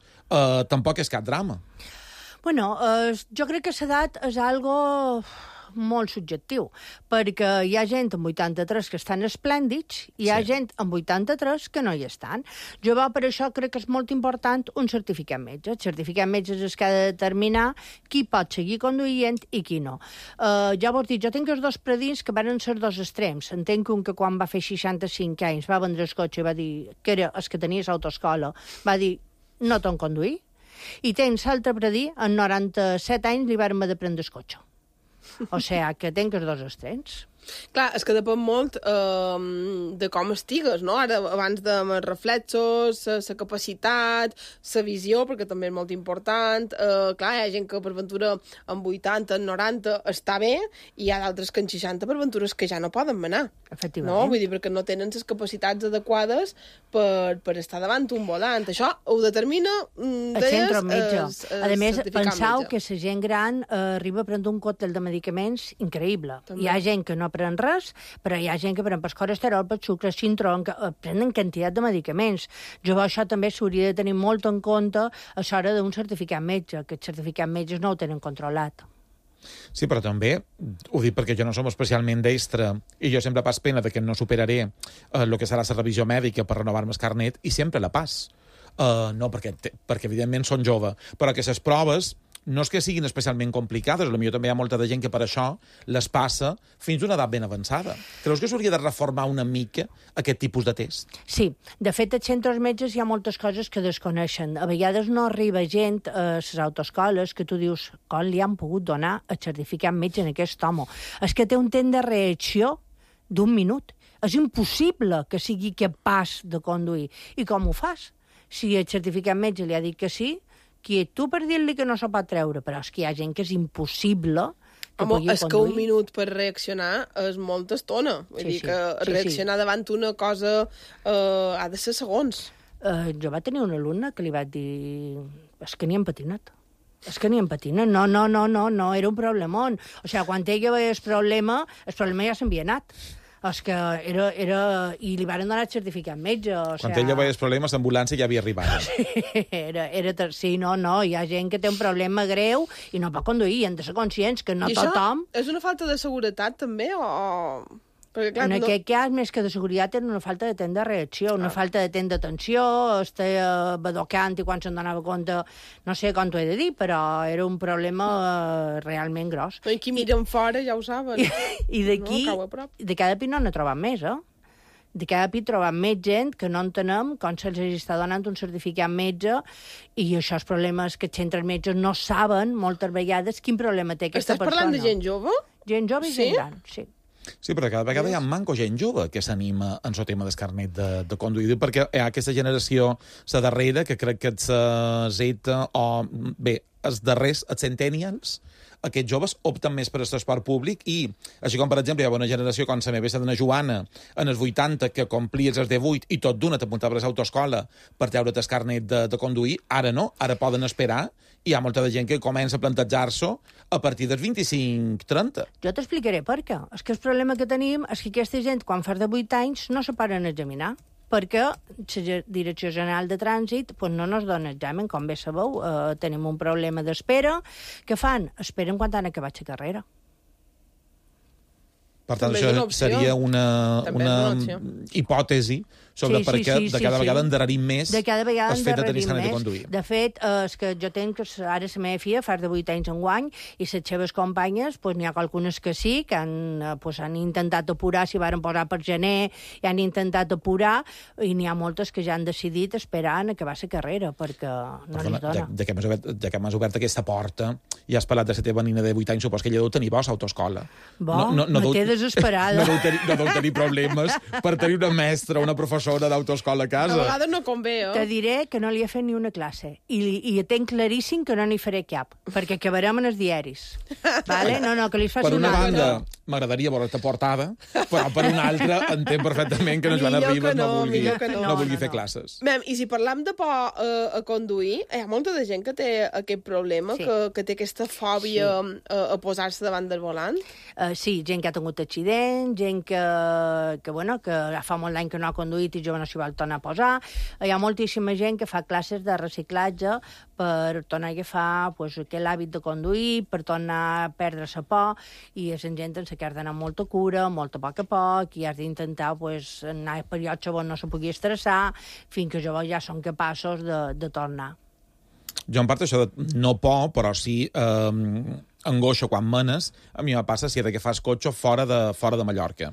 [SPEAKER 4] tampoc és cap drama.
[SPEAKER 19] Bueno, jo crec que l'edat és algo molt subjectiu, perquè hi ha gent amb 83 que estan esplèndids i hi ha gent amb 83 que no hi estan. Jo per això crec que és molt important un certificat metge. El certificat metge és el que ha de determinar qui pot seguir conduint i qui no. Ja vos dic, jo tinc els dos predins que van ser dos extrems. Entenc un que quan va fer 65 anys va vendre el cotxe i va dir que era el que tenia l'autoescola, va dir no t'on conduir, i tens l'altre predí, en 97 anys li van haver de prendre el cotxe. O sigui, que tenc els dos extrems.
[SPEAKER 2] Clar, és que depèn molt de com estigues, no? Ara, abans de reflexos, la capacitat, la visió, perquè també és molt important. Clar, hi ha gent que per ventura amb 80, en 90 està bé, i hi ha d'altres que en 60 per ventures que ja no poden manar.
[SPEAKER 19] Efectivament.
[SPEAKER 2] No? Vull dir, perquè no tenen les capacitats adequades per estar davant un volant. Això ho determina, deies,
[SPEAKER 19] a més, penseu que la gent gran arriba a prendre un còctel de medicaments increïble. També. Hi ha gent que no pren res, però hi ha gent que pren per colesterol, per sucre, cintrón, que prenen quantitat de medicaments. Jo això també s'hauria de tenir molt en compte a l'hora d'un certificat metge, que els certificats metges no ho tenen controlat.
[SPEAKER 4] Sí, però també, ho dic perquè jo no som especialment destre, i jo sempre pas pena que no superaré el que serà la revisió mèdica per renovar-me el carnet, i sempre la pas. No, perquè evidentment són jove, però que les proves no és que siguin especialment complicades, potser també hi ha molta de gent que per això les passa fins a una edat ben avançada. Creus que s'hauria de reformar una mica aquest tipus de test?
[SPEAKER 19] Sí. De fet, als centres metges hi ha moltes coses que desconeixen. A vegades no arriba gent a les autoescoles que tu dius com li han pogut donar el certificat metge en aquest home. És que té un temps de reacció d'1 minut. És impossible que sigui capaç de conduir. I com ho fas? Si el certificat metge li ha dit que sí, qui ets tu per dir-li que no se pot treure? Però és que hi ha gent que és impossible que pugui conduir.
[SPEAKER 2] És que 1 minut per reaccionar és molta estona. Vull dir que reaccionar davant una cosa ha de ser segons.
[SPEAKER 19] Jo va tenir una alumna que li va dir és que ni hem patinat. És que ni em patina. No, era un problemón. O sigui, quan ella veia el problema ja s'havia anat. És que era... I li van donar el certificat metge.
[SPEAKER 4] Quan ella veia els problemes, l'ambulància ja havia arribat.
[SPEAKER 19] Sí, no, hi ha gent que té un problema greu i no pot conduir, i hem de ser conscients que no tothom...
[SPEAKER 2] I això és una falta de seguretat, també, o...? Perquè, clar,
[SPEAKER 19] en aquest cas, més que de seguretat, era una falta de temps de reacció, una falta de temps d'atenció, estava badocant i quan se'n donava compte, no sé com t'ho he de dir, però era un problema realment gros.
[SPEAKER 2] I qui miren fora ja ho saben.
[SPEAKER 19] I d'aquí, de cada pi no n'he trobat més, De cada pi trobem més gent que no entenem com se'ls està donant un certificat metge, i això és problemes que els centres metges no saben moltes vegades quin problema té aquesta persona.
[SPEAKER 2] Estàs parlant de gent jove?
[SPEAKER 19] Gent jove i gent gran, sí.
[SPEAKER 4] Sí, però cada vegada hi ha manco gent jove que s'anima en el tema del carnet de conduir, perquè hi ha aquesta generació, la darrera, que crec que és Z, o bé, els darrers, els centennials, aquests joves opten més per l'esport públic i, així com, per exemple, hi ha una generació com la meva dona Joana, en els 80, que complies els 18 i tot d'una t'apuntaves a l'autoescola per treure't el carnet de conduir, ara no, ara poden esperar, i hi ha molta de gent que comença a plantejar-s'ho a partir dels 25-30.
[SPEAKER 19] Jo t'explicaré per què. És que el problema que tenim és que aquesta gent, quan fa de 8 anys, no se paren a examinar, perquè la Direcció General de Trànsit no ens dona examen, com bé sabeu. Tenim un problema d'espera. Què fan? Esperen quan han acabat la carrera.
[SPEAKER 4] Per tant, això seria una hipòtesi sobre per què de cada vegada endarrerim més el fet de tenir carnet de conduir.
[SPEAKER 19] De fet, és que jo tenc ara la meva filla fa de 8 anys enguany i les seves companyes, n'hi ha algunes que sí, que han intentat apurar, s'hi van posar per gener i han intentat apurar, i n'hi ha moltes que ja han decidit esperar en acabar la carrera, perquè no els dona.
[SPEAKER 4] Ja que m'has obert aquesta porta i has parlat de la teva nina de 8 anys, supos que ella deu tenir vols a autoescola.
[SPEAKER 19] Me té desesperada.
[SPEAKER 4] No deu tenir problemes per tenir una mestra o una professora d'autoescola a casa.
[SPEAKER 2] A vegades no convé,
[SPEAKER 19] Te diré que no li he fet ni una classe. I tenc claríssim que no n'hi faré cap, perquè acabarem en els diaris. Vale? No, que li faci
[SPEAKER 4] per una banda, m'agradaria veure-te portada, però per una altra entenc perfectament que Joana Ribas no vulgui fer classes.
[SPEAKER 2] I si parlam de por a conduir, hi ha molta de gent que té aquest problema, que té aquesta fòbia a posar-se davant del volant?
[SPEAKER 19] Sí, gent que ha tingut accident, gent que fa molt d'any que no ha conduït i jo no s'hi vol tornar a posar. Hi ha moltíssima gent que fa classes de reciclatge per tornar a agafar aquell hàbit de conduir, per tornar a perdre la por, i és gent en que has d'anar amb molta cura, molt a poc, i has d'intentar anar a periods on no se pugui estressar, fins que jo ja són capaços de tornar.
[SPEAKER 4] Jo, en part, això de no por, però sí angoixa quan menes, a mi me passa si he d'agafar el cotxe fora de Mallorca.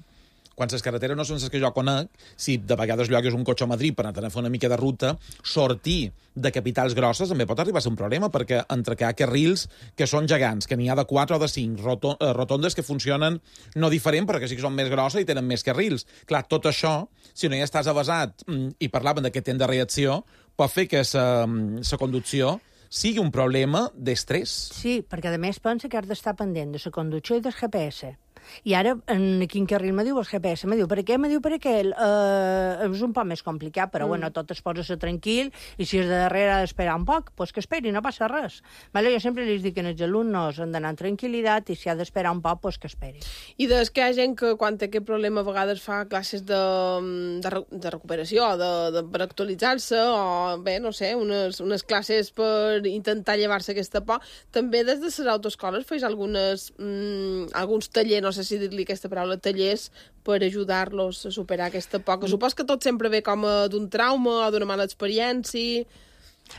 [SPEAKER 4] Quan les carreteres no són les que jo conec, si de vegades llogues un cotxe a Madrid per anar a fer una mica de ruta, sortir de capitals grosses també pot arribar a ser un problema, perquè entre que hi ha carrils que són gegants, que n'hi ha de 4 o de 5, rotondes que funcionen no diferent, però que sí que són més grosses i tenen més carrils. Clar, tot això, si no hi estàs avasat i parlaven d'aquest temps de reacció, pot fer que la conducció sigui un problema d'estrès.
[SPEAKER 19] Sí, perquè a més pensa que has d'estar pendent de la conducció i del GPS. I ara, en quin carril me diu el GPS? Me diu, per què? Me diu, per aquell. És un poc més complicat, però tot es posa tranquil, i si és de darrere ha d'esperar un poc, doncs que esperi, no passa res. Jo sempre li dic que els alumnes han d'anar en tranquil·litat, i si ha d'esperar un poc, doncs que esperi.
[SPEAKER 2] I des que hi ha gent que, quan té aquest problema, a vegades fa classes de recuperació, per actualitzar-se, o bé, no sé, unes classes per intentar llevar-se aquesta por, també des de les autoescoles feis alguns tallers, no sé si dir-li aquesta paraula, tallers, per ajudar-los a superar aquesta por, que supos que tot sempre ve com d'un trauma o d'una mala experiència.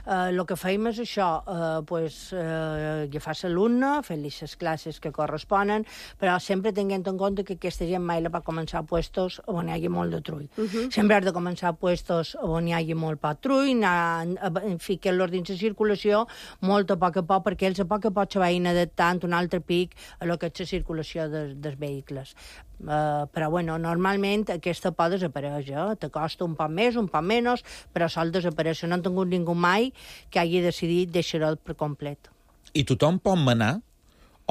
[SPEAKER 19] El que feim és això, agafar l'alumne, fer-li les classes que corresponen, però sempre tenint en compte que aquesta gent mai la va començar a puestos on hi hagi molt de trull. Sempre has de començar a puestos on hi hagi molt poc trull, ficar-los dins la circulació molt a poc, perquè ells a poc se vagin adaptant un altre pic a lo que és la circulació dels vehicles. Però, normalment aquesta por desapareix, t'acosta un poc més, un poc menys, però sol desaparèixer. No han tingut ningú mai que hagi decidit deixar-ho per complet.
[SPEAKER 4] I tothom pot manar?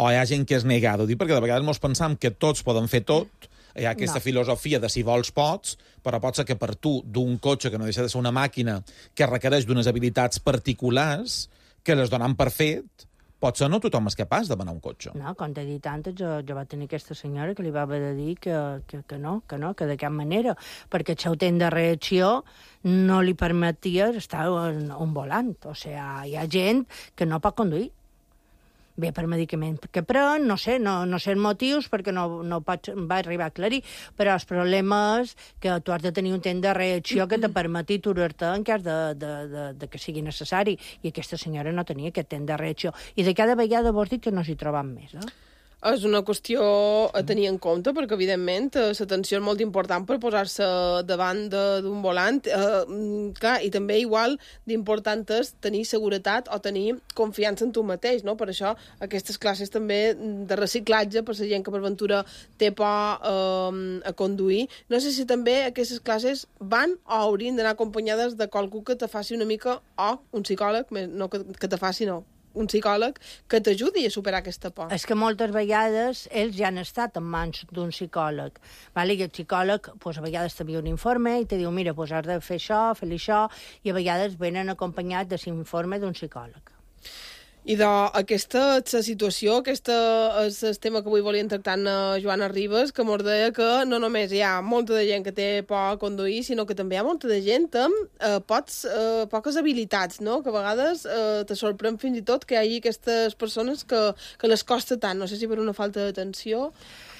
[SPEAKER 4] O hi ha gent que és negada? Perquè de vegades ens pensam que tots poden fer tot, hi ha aquesta filosofia de si vols pots, però pot ser que per tu, d'un cotxe que no deixa de ser una màquina que requereix d'unes habilitats particulars, que les donen per fet, potser no tothom és capaç de manar un cotxe.
[SPEAKER 19] No, com t'he dit antes, jo va tenir aquesta senyora que li va haver de dir que no, que de cap manera, perquè el seu temps de reacció no li permetia estar en un volant. O sigui, hi ha gent que no pot conduir. Bé, per medicament que pren, no sé els motius, perquè no va arribar a aclarir, però el problema és que tu has de tenir un temps de reacció que te permeti aturar-te en cas de que sigui necessari, i aquesta senyora no tenia aquest temps de reacció, i de cada vegada vols dir que no s'hi troben més,
[SPEAKER 2] És una qüestió a tenir en compte, perquè, evidentment, l'atenció és molt important per posar-se davant d'un volant. Clar, i també igual d'important és tenir seguretat o tenir confiança en tu mateix, no? Per això aquestes classes també de reciclatge, per la gent que per ventura té por a conduir. No sé si també aquestes classes van o haurien d'anar acompanyades de qualcú que te faci una mica, o un psicòleg, no que te faci, no. un psicòleg que t'ajudi a superar aquesta por.
[SPEAKER 19] És que moltes vegades ells ja han estat en mans d'un psicòleg. Vale? I el psicòleg pues, a vegades t'envia un informe i te diu, mira, pues, has de fer això, fer-li això, i a vegades venen acompanyats de l'informe d'un psicòleg.
[SPEAKER 2] I aquesta situació, aquest és el tema que avui volien tractar Joana Ribas, que mos deia que no només hi ha molta de gent que té por a conduir, sinó que també hi ha molta de gent amb poques habilitats, no? Que a vegades te sorprèn fins i tot que hi hagi aquestes persones que les costa tant. No sé si per una falta d'atenció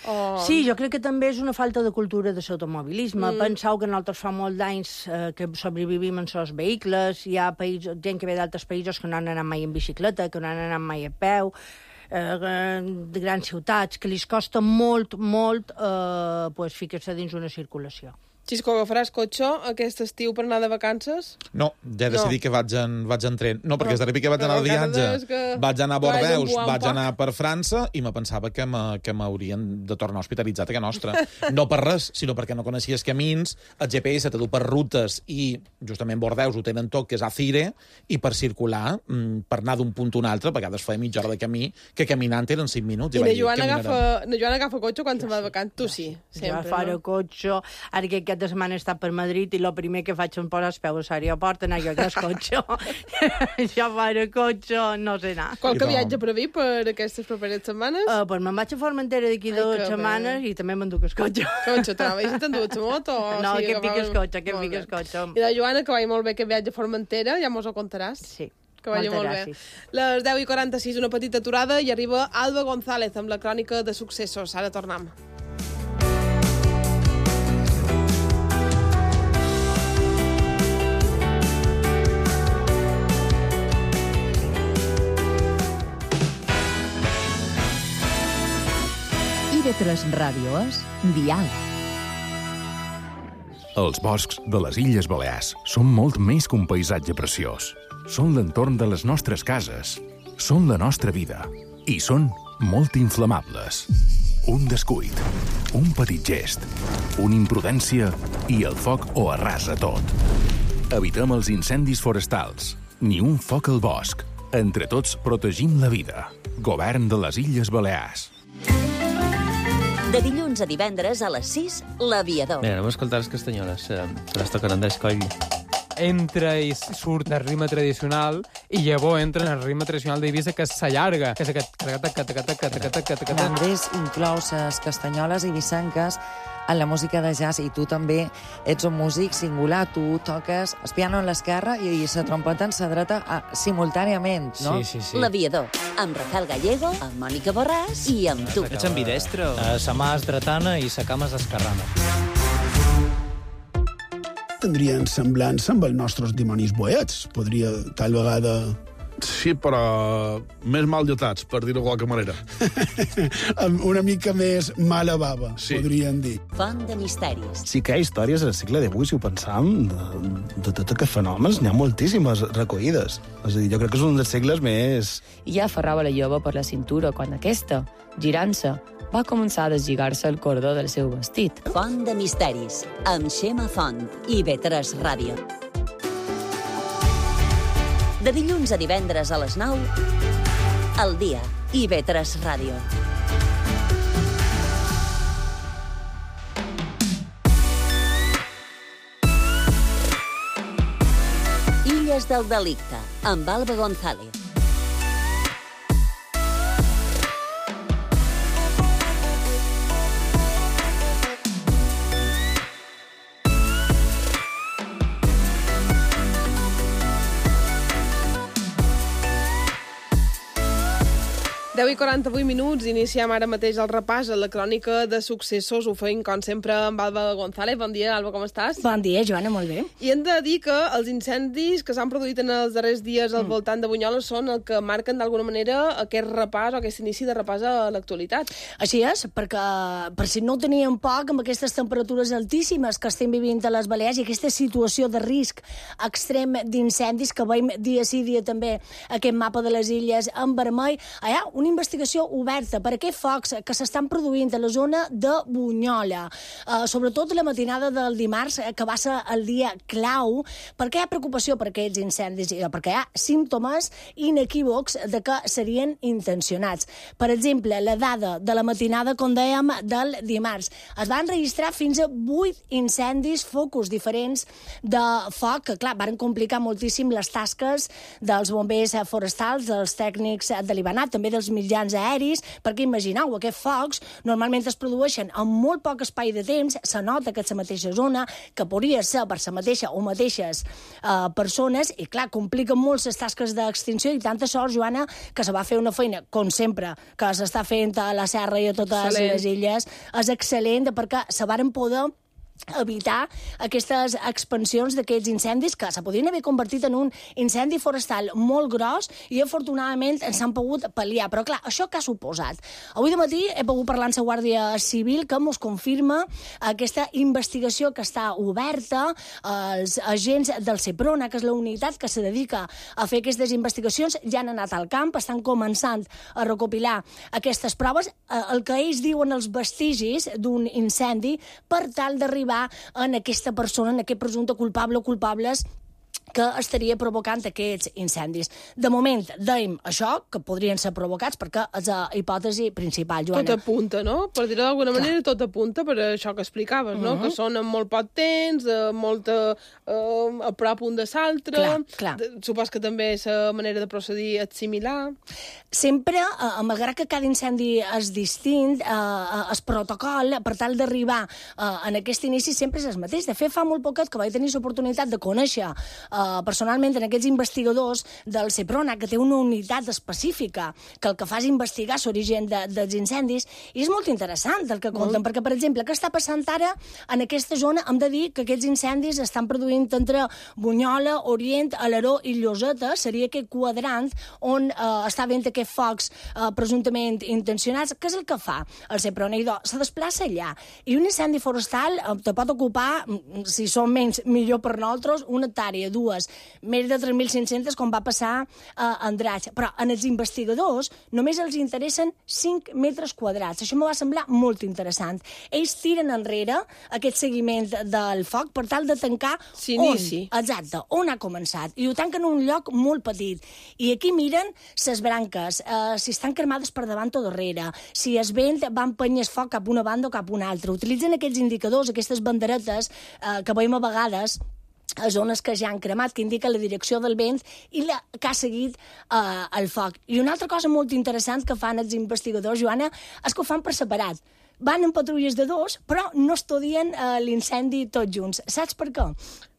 [SPEAKER 2] o...
[SPEAKER 19] Sí, jo crec que també és una falta de cultura de l'automobilisme. Penseu que nosaltres fa molts anys que sobrevivim en els vehicles, hi ha gent que ve d'altres països que no han anat mai en bicicleta, que no han anat mai a peu, de grans ciutats, que li costa molt ficar-se dins una circulació.
[SPEAKER 2] Xisco, agafaràs cotxe aquest estiu per anar de vacances?
[SPEAKER 4] No, ja he decidit que vaig en tren. No, perquè és de que vaig anar de viatge, vaig anar a Bordeus, vaig anar per França i me pensava que m'haurien de tornar hospitalitzat a casa nostra. No per res, sinó perquè no coneixia els camins, el GPS te du per rutes i justament Bordeus ho tenen tot, que és a Cire, i per circular, per anar d'un punt a un altre, a vegades feia mitja hora de camí, que caminant eren 5 minuts.
[SPEAKER 2] I la Joana agafa cotxe quan se'n va de vacances? Tu sí, sempre,
[SPEAKER 19] no? Jo cotxe, ara que aquesta setmana he estat per Madrid i el primer que faig és posar els peus a l'aeroport, anar jo a cotxe. Jo faré cotxe, no sé anar.
[SPEAKER 2] Qualque viatge previst per aquestes properes setmanes?
[SPEAKER 19] Pues me'n vaig a Formentera d'aquí 2 setmanes i també m'enduc el cotxe.
[SPEAKER 2] Cotxe, t'anaves i t'endues la moto?
[SPEAKER 19] No, que em piques cotxe.
[SPEAKER 2] I la Joana, que vagi molt bé que viatge a Formentera, ja mos ho contaràs?
[SPEAKER 19] Sí.
[SPEAKER 2] Que vagi molt bé. Les 10:46, una petita aturada i arriba Alba González amb la crònica de successos. Ara tornem.
[SPEAKER 1] IB3 Ràdio és Diàleg.
[SPEAKER 20] Els boscs de les Illes Balears són molt més que un paisatge preciós. Són l'entorn de les nostres cases, són la nostra vida i són molt inflamables. Un descuit, un petit gest, una imprudència i el foc ho arrasa tot. Evitem els incendis forestals, ni un foc al bosc. Entre tots protegim la vida. Govern de les Illes Balears.
[SPEAKER 1] De dilluns a divendres a les 6, L'Aviador.
[SPEAKER 15] Mira, anem a escoltar les castanyoles. Les toquen Andrés Coll.
[SPEAKER 21] Entra i surt del ritme tradicional i llavors entra en el ritme tradicional d'Eivissa, que s'allarga, que és aquest...
[SPEAKER 22] Andrés inclou les castanyoles eivissenques en la música de jazz i tu també ets un músic singular. Tu toques el piano en l'esquerra i la trompeta en la dreta simultàniament, no?
[SPEAKER 15] Sí.
[SPEAKER 1] L'Aviador, amb Rafael Gallego, amb Mònica Borràs i amb tu.
[SPEAKER 15] Ets ambidestre?
[SPEAKER 23] Sa mà és dretana i sa cama és esquerrana.
[SPEAKER 24] Tindrien semblança amb els nostres dimonis boets. Podria, tal vegada...
[SPEAKER 25] Sí, però més mal dotats, per dir-ho de qualque manera.
[SPEAKER 24] Una mica més mala bava, sí. Podríem dir.
[SPEAKER 1] Font de misteris.
[SPEAKER 26] Sí que hi ha històries al segle XVIII, si ho pensam, de tots aquests fenòmens, n'hi ha moltíssimes recollides. És a dir, jo crec que és un dels segles més...
[SPEAKER 27] I ja aferrava la jove per la cintura quan aquesta, girant-se, va començar a deslligar-se el cordó del seu vestit.
[SPEAKER 1] Font de misteris, amb Xema Font i IB3 Ràdio. De dilluns a divendres a les 9, al dia, IB3 Ràdio. Illes del delicte, amb Alba González.
[SPEAKER 2] I 48 minuts, iniciem ara mateix el repàs a la crònica de successos. Ho feim, com sempre, amb Alba González. Bon dia, Alba, com estàs?
[SPEAKER 28] Bon dia, Joana, molt bé.
[SPEAKER 2] I hem de dir que els incendis que s'han produït en els darrers dies al voltant de Bunyola són el que marquen d'alguna manera aquest repàs o aquest inici de repàs a l'actualitat.
[SPEAKER 28] Així és, perquè per si no ho teníem poc, amb aquestes temperatures altíssimes que estem vivint a les Balears i aquesta situació de risc extrem d'incendis que veiem dia sí dia també aquest mapa de les illes en vermell, hi ha un investigació oberta per aquests focs que s'estan produint a la zona de Bunyola, sobretot la matinada del dimarts, que va ser el dia clau, perquè hi ha preocupació per aquests incendis, perquè hi ha símptomes inequívocs de que serien intencionats. Per exemple, la dada de la matinada, com dèiem, del dimarts. Es van registrar fins a 8 incendis, focus diferents de foc, que, clar, van complicar moltíssim les tasques dels bombers forestals, dels tècnics de l'Ibanat, també dels mitjans aeris, perquè imagineu, aquests focs normalment es produeixen en molt poc espai de temps, se nota que és la mateixa zona, que podria ser per la mateixa o mateixes persones, i clar, compliquen molt les tasques d'extinció, i tanta sort, Joana, que se va fer una feina, com sempre, que s'està fent a la serra i a totes les illes, és excel·lent, perquè se varen poder evitar aquestes expansions d'aquests incendis que se podrien haver convertit en un incendi forestal molt gros i afortunadament s'han pogut pal·liar. Però clar, això què ha suposat? Avui de matí he pogut parlar amb la Guàrdia Civil que mos confirma aquesta investigació que està oberta. Els agents del Seprona, que és la unitat que se dedica a fer aquestes investigacions, ja han anat al camp, estan començant a recopilar aquestes proves, el que ells diuen els vestigis d'un incendi, per tal d'arribar en aquesta persona, en aquest presumpte culpable o culpables que estaria provocant aquests incendis. De moment, dèiem això, que podrien ser provocats, perquè és la hipòtesi principal, Joana.
[SPEAKER 2] Tot apunta, no? Per dir-ho d'alguna manera, tot apunta per això que explicaves, no? Que són en molt poc temps, molta a prop un de l'altre. Supos que també la manera de procedir és similar.
[SPEAKER 28] Sempre, malgrat que cada incendi és distint, el protocol, per tal d'arribar en aquest inici, sempre és el mateix. De fet, fa molt poquet que vaig tenir l'oportunitat de conèixer personalment en aquests investigadors del Seprona, que té una unitat específica que el que fa és investigar l'origen dels incendis, i és molt interessant el que conten, perquè, per exemple, què està passant ara en aquesta zona? Hem de dir que aquests incendis estan produint entre Bunyola, Orient, Alaró i Lloseta, seria aquest quadrant on està havent aquests focs presumptament intencionats. Què és el que fa el Seprona? Se desplaça allà, i un incendi forestal te pot ocupar, si són menys, millor per nosaltres, una hectàrea, dues, més de 3.500, com va passar a Andratx. Però en els investigadors només els interessen 5 metres quadrats. Això m'ho va semblar molt interessant. Ells tiren enrere aquest seguiment del foc per tal de tancar on ha començat. I ho tanquen en un lloc molt petit. I aquí miren les branques, si estan cremades per davant o darrere, si el vent va empenyar el foc cap a una banda o cap a una altra. Utilitzen aquests indicadors, aquestes banderetes que veiem a vegades a zones que ja han cremat, que indica la direcció del vent i que ha seguit el foc. I una altra cosa molt interessant que fan els investigadors, Joana, és que ho fan per separat. Van en patrulles de 2, però no estudien l'incendi tots junts. Saps per què?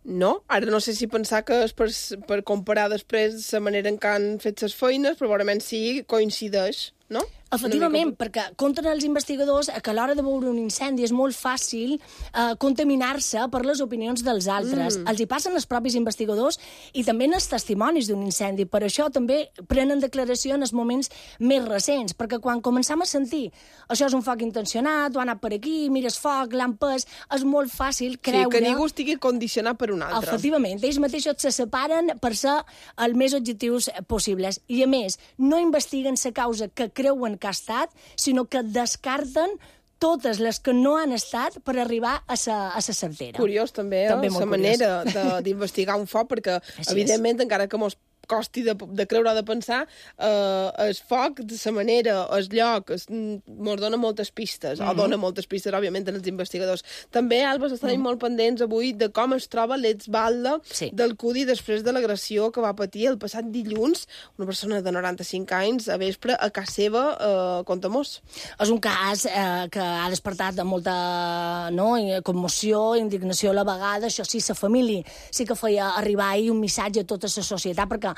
[SPEAKER 2] No, ara no sé si pensar que és per comparar després la manera en què han fet les feines, probablement sí, coincideix, no?
[SPEAKER 28] Efectivament, perquè compten els investigadors que a l'hora de veure un incendi és molt fàcil contaminar-se per les opinions dels altres. Els hi passen els propis investigadors i també en els testimonis d'un incendi. Per això també prenen declaració en els moments més recents, perquè quan començam a sentir això és un foc intencionat, o ha anat per aquí, mires foc, l'han pes, és molt fàcil creure...
[SPEAKER 2] Sí, que ningú estigui condicionat per un altre.
[SPEAKER 28] Efectivament, ells mateixos se separen per ser els més objectius possibles. I a més, no investiguen la causa que creuen que ha estat, sinó que descarten totes les que no han estat per arribar a la certera.
[SPEAKER 2] Curiós, també la manera d'investigar un foc, perquè, evidentment, encara que mos costi de creure o de pensar, el foc, de la manera, el lloc, mos dona moltes pistes, o dona moltes pistes, òbviament, als investigadors. També, Alba, estarem molt pendents avui de com es troba l'exbalda del Cudi després de l'agressió que va patir el passat dilluns una persona de 95 anys a vespre a casa seva, conta-mos.
[SPEAKER 28] És un cas que ha despertat molta commoció, indignació a la vegada. Això sí, la família sí que feia arribar ahir un missatge a tota la societat, perquè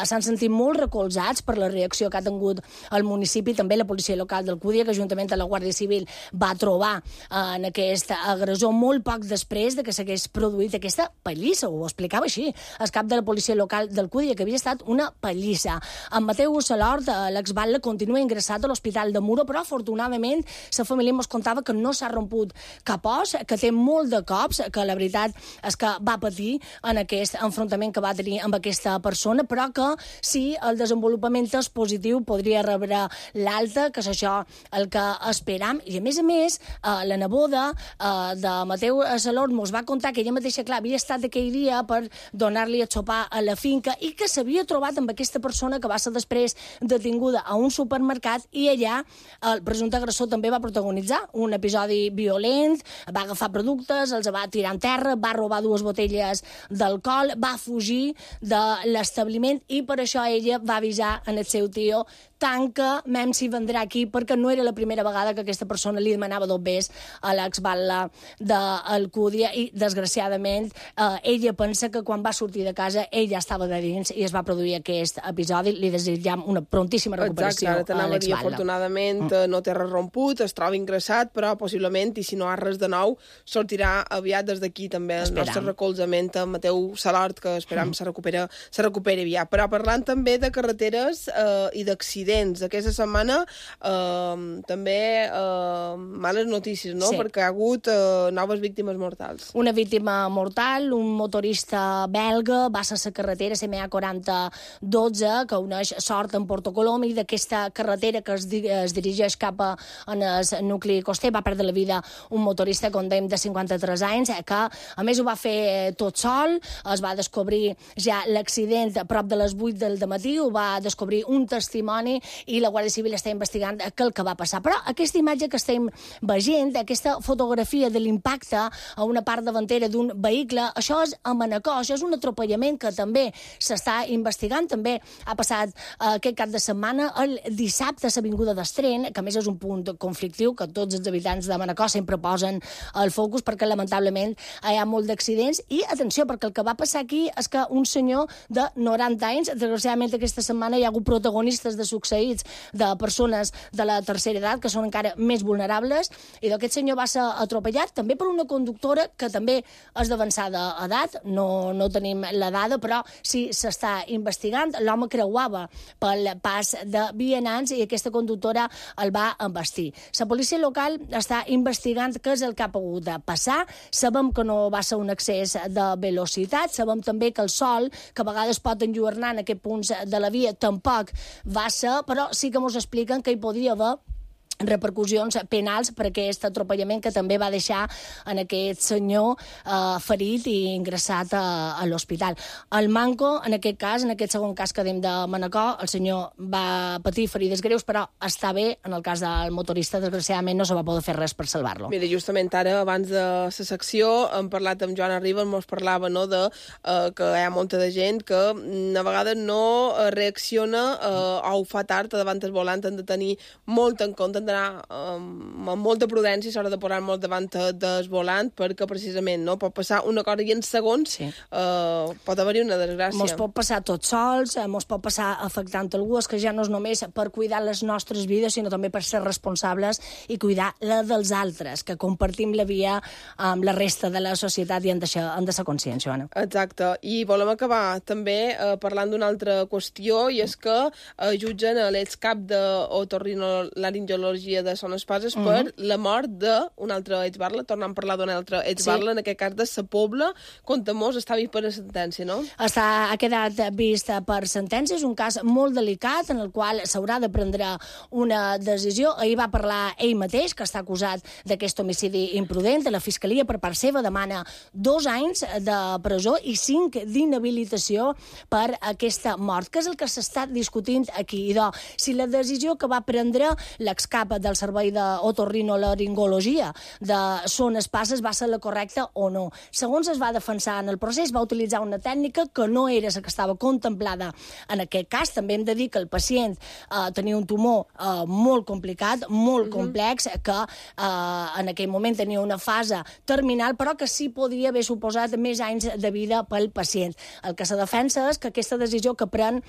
[SPEAKER 28] s'han sentit molt recolzats per la reacció que ha tingut el municipi, també la policia local del Cúdia, que juntament amb la Guàrdia Civil va trobar en aquest agressor molt poc després de que s'hagués produït aquesta pallissa, ho explicava així el cap de la policia local del Cúdia, que havia estat una pallissa. En Mateu Salort, l'exbatlle, continua ingressat a l'Hospital de Muro, però afortunadament la família ens contava que no s'ha romput cap os, que té molt de cops, que la veritat és que va patir en aquest enfrontament que va tenir amb aquesta persona, persona, però que si el desenvolupament és positiu podria rebre l'alta, que és això el que esperam. I a més, la neboda de Mateu Salord mos va contar que ella mateixa, clar, havia estat aquell dia per donar-li a sopar a la finca i que s'havia trobat amb aquesta persona que va ser després detinguda a un supermercat i allà el presumpte agressor també va protagonitzar un episodi violent, va agafar productes, els va tirar en terra, va robar 2 botelles d'alcohol, va fugir de l'establiment i per això ella va avisar en el seu tio tanca, mem si vendrà aquí, perquè no era la primera vegada que aquesta persona li demanava 2 bes a l'exbatla d'Alcúdia i, desgraciadament, ella pensa que quan va sortir de casa ell ja estava de dins i es va produir aquest episodi. Li desitjam una prontíssima recuperació a l'exbatla.
[SPEAKER 2] Afortunadament no té res romput, es troba ingressat, però possiblement, i si no ha res de nou, sortirà aviat des d'aquí també el nostre recolzament a Mateu Salord, que esperam se recuperi aviat. Però parlant també de carreteres i d'accidents, aquesta setmana també males notícies, no? Sí. Perquè hi ha hagut noves víctimes mortals.
[SPEAKER 28] Una víctima mortal, un motorista belga, va ser la carretera CMA 4012, que uneix Sort amb Porto Colom, i d'aquesta carretera que es dirigeix cap en el nucli coster va perdre la vida un motorista condemn de 53 anys, que a més ho va fer tot sol. Es va descobrir ja l'accident a prop de les 8 del matí, ho va descobrir un testimoni i la Guàrdia Civil està investigant què el que va passar. Però aquesta imatge que estem veient, aquesta fotografia de l'impacte a una part davantera d'un vehicle, això és a Manacor, això és un atropellament que també s'està investigant. També ha passat aquest cap de setmana, el dissabte, a l'Avinguda d'Estren, que a més és un punt conflictiu que tots els habitants de Manacor sempre posen el focus perquè lamentablement hi ha molt d'accidents. I atenció, perquè el que va passar aquí és que un senyor de 90 anys, desgraciadament aquesta setmana hi ha hagut protagonistes de succeïts de persones de la tercera edat que són encara més vulnerables, i aquest senyor va ser atropellat també per una conductora que també és d'avançada edat, no tenim la dada, però sí s'està investigant. L'home creuava pel pas de vianants i aquesta conductora el va embestir. La policia local està investigant què és el que ha pogut passar. Sabem que no va ser un excés de velocitat, sabem també que el sol, que a vegades pot enlluernar en aquests punts de la via, tampoc va ser, però sí que ens expliquen que hi podria haver repercussions penals per aquest atropellament que també va deixar en aquest senyor ferit i ingressat a l'hospital. El manco, en aquest cas, en aquest segon cas que dèiem de Manacor, el senyor va patir ferides greus, però està bé. En el cas del motorista, desgraciadament, no se va poder fer res per salvar-lo.
[SPEAKER 2] Mira, justament ara, abans de la secció, hem parlat amb Joan Arriba, ens parlava de que hi ha molta de gent que a vegades no reacciona o ho fa tard davant el volant. Han de tenir molt en compte, d'anar amb molta prudència a l'hora de posar molt davant del volant, perquè precisament no pot passar una cosa i en segons pot haver-hi una desgràcia.
[SPEAKER 28] Mos pot passar tots sols, mos pot passar afectant algú, és que ja no és només per cuidar les nostres vides, sinó també per ser responsables i cuidar la dels altres, que compartim la via amb la resta de la societat i hem de ser conscients, Joana.
[SPEAKER 2] Exacte. I volem acabar també parlant d'una altra qüestió, i és que jutgen l'excap d'otorrinolaringologia de Son Espases per la mort d'un altre exbarla, tornant a parlar d'un altre exbarla, en aquest cas de Sa Pobla. Conta-mos, està vist per sentència, no?
[SPEAKER 28] Ha quedat vist per sentència, és un cas molt delicat en el qual s'haurà de prendre una decisió. Ahir va parlar ell mateix, que està acusat d'aquest homicidi imprudent. La Fiscalia, per part seva, demana 2 anys de presó i 5 d'inhabilitació per aquesta mort, que és el que s'està discutint aquí. Idò, si la decisió que va prendre l'excap del servei d'otorrinolaringologia de Son Espases va ser la correcta o no. Segons es va defensar en el procés, va utilitzar una tècnica que no era la que estava contemplada en aquest cas. També hem de dir que el pacient tenia un tumor molt complicat, molt complex, que en aquell moment tenia una fase terminal, però que sí podria haver suposat més anys de vida pel pacient. El que se defensa és que aquesta decisió que pren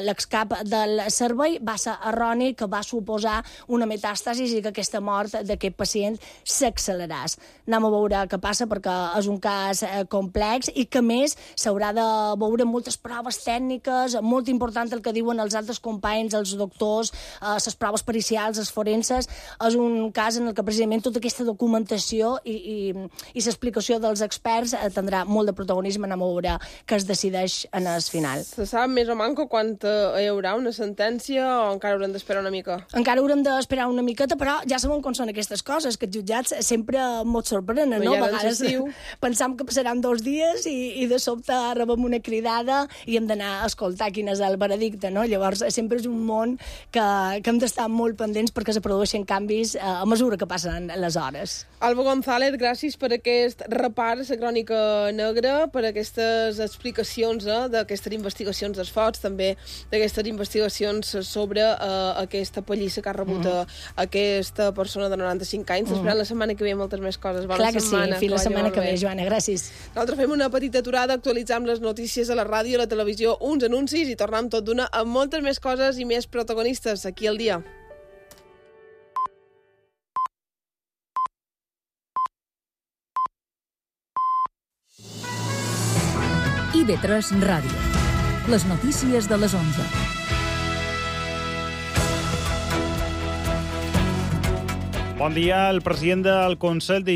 [SPEAKER 28] l'excap del servei va ser erroni, que va suposar una una metàstasis i que aquesta mort d'aquest pacient s'acceleràs. Anem a veure què passa, perquè és un cas complex i que, a més, s'haurà de veure moltes proves tècniques, molt important el que diuen els altres companys, els doctors, les proves pericials, els forenses. És un cas en el que precisament tota aquesta documentació i l'explicació dels experts tindrà molt de protagonisme. Anem a veure què es decideix en el final.
[SPEAKER 2] Se sap més o manco quan hi haurà una sentència o encara haurem d'esperar una mica?
[SPEAKER 28] Encara haurem d'esperar una miqueta, però ja sabem com són aquestes coses, que els jutjats sempre mos sorprenen, no? A vegades pensam que passaran 2 dies i de sobte rebem una cridada i hem d'anar a escoltar quin és el veredicte, no? Llavors sempre és un món que hem d'estar molt pendents perquè se produeixen canvis a mesura que passen les hores.
[SPEAKER 2] Alba González, gràcies per aquest repàs a la crònica negra, per aquestes explicacions d'aquestes investigacions dels focs, també d'aquestes investigacions sobre aquesta pallissa que ha rebut aquesta persona de 95 anys. Esperant la setmana que ve moltes més coses. Bona
[SPEAKER 28] Clar que
[SPEAKER 2] setmana.
[SPEAKER 28] Sí, fins la setmana que ve, Joana, gràcies.
[SPEAKER 2] Nosaltres fem una petita aturada, actualitzam les notícies a la ràdio, a la televisió, uns anuncis i tornem tot d'una amb moltes més coses i més protagonistes aquí al dia.
[SPEAKER 3] IB3 Ràdio. Les notícies de les 11.
[SPEAKER 5] Bon dia. El president del Consell de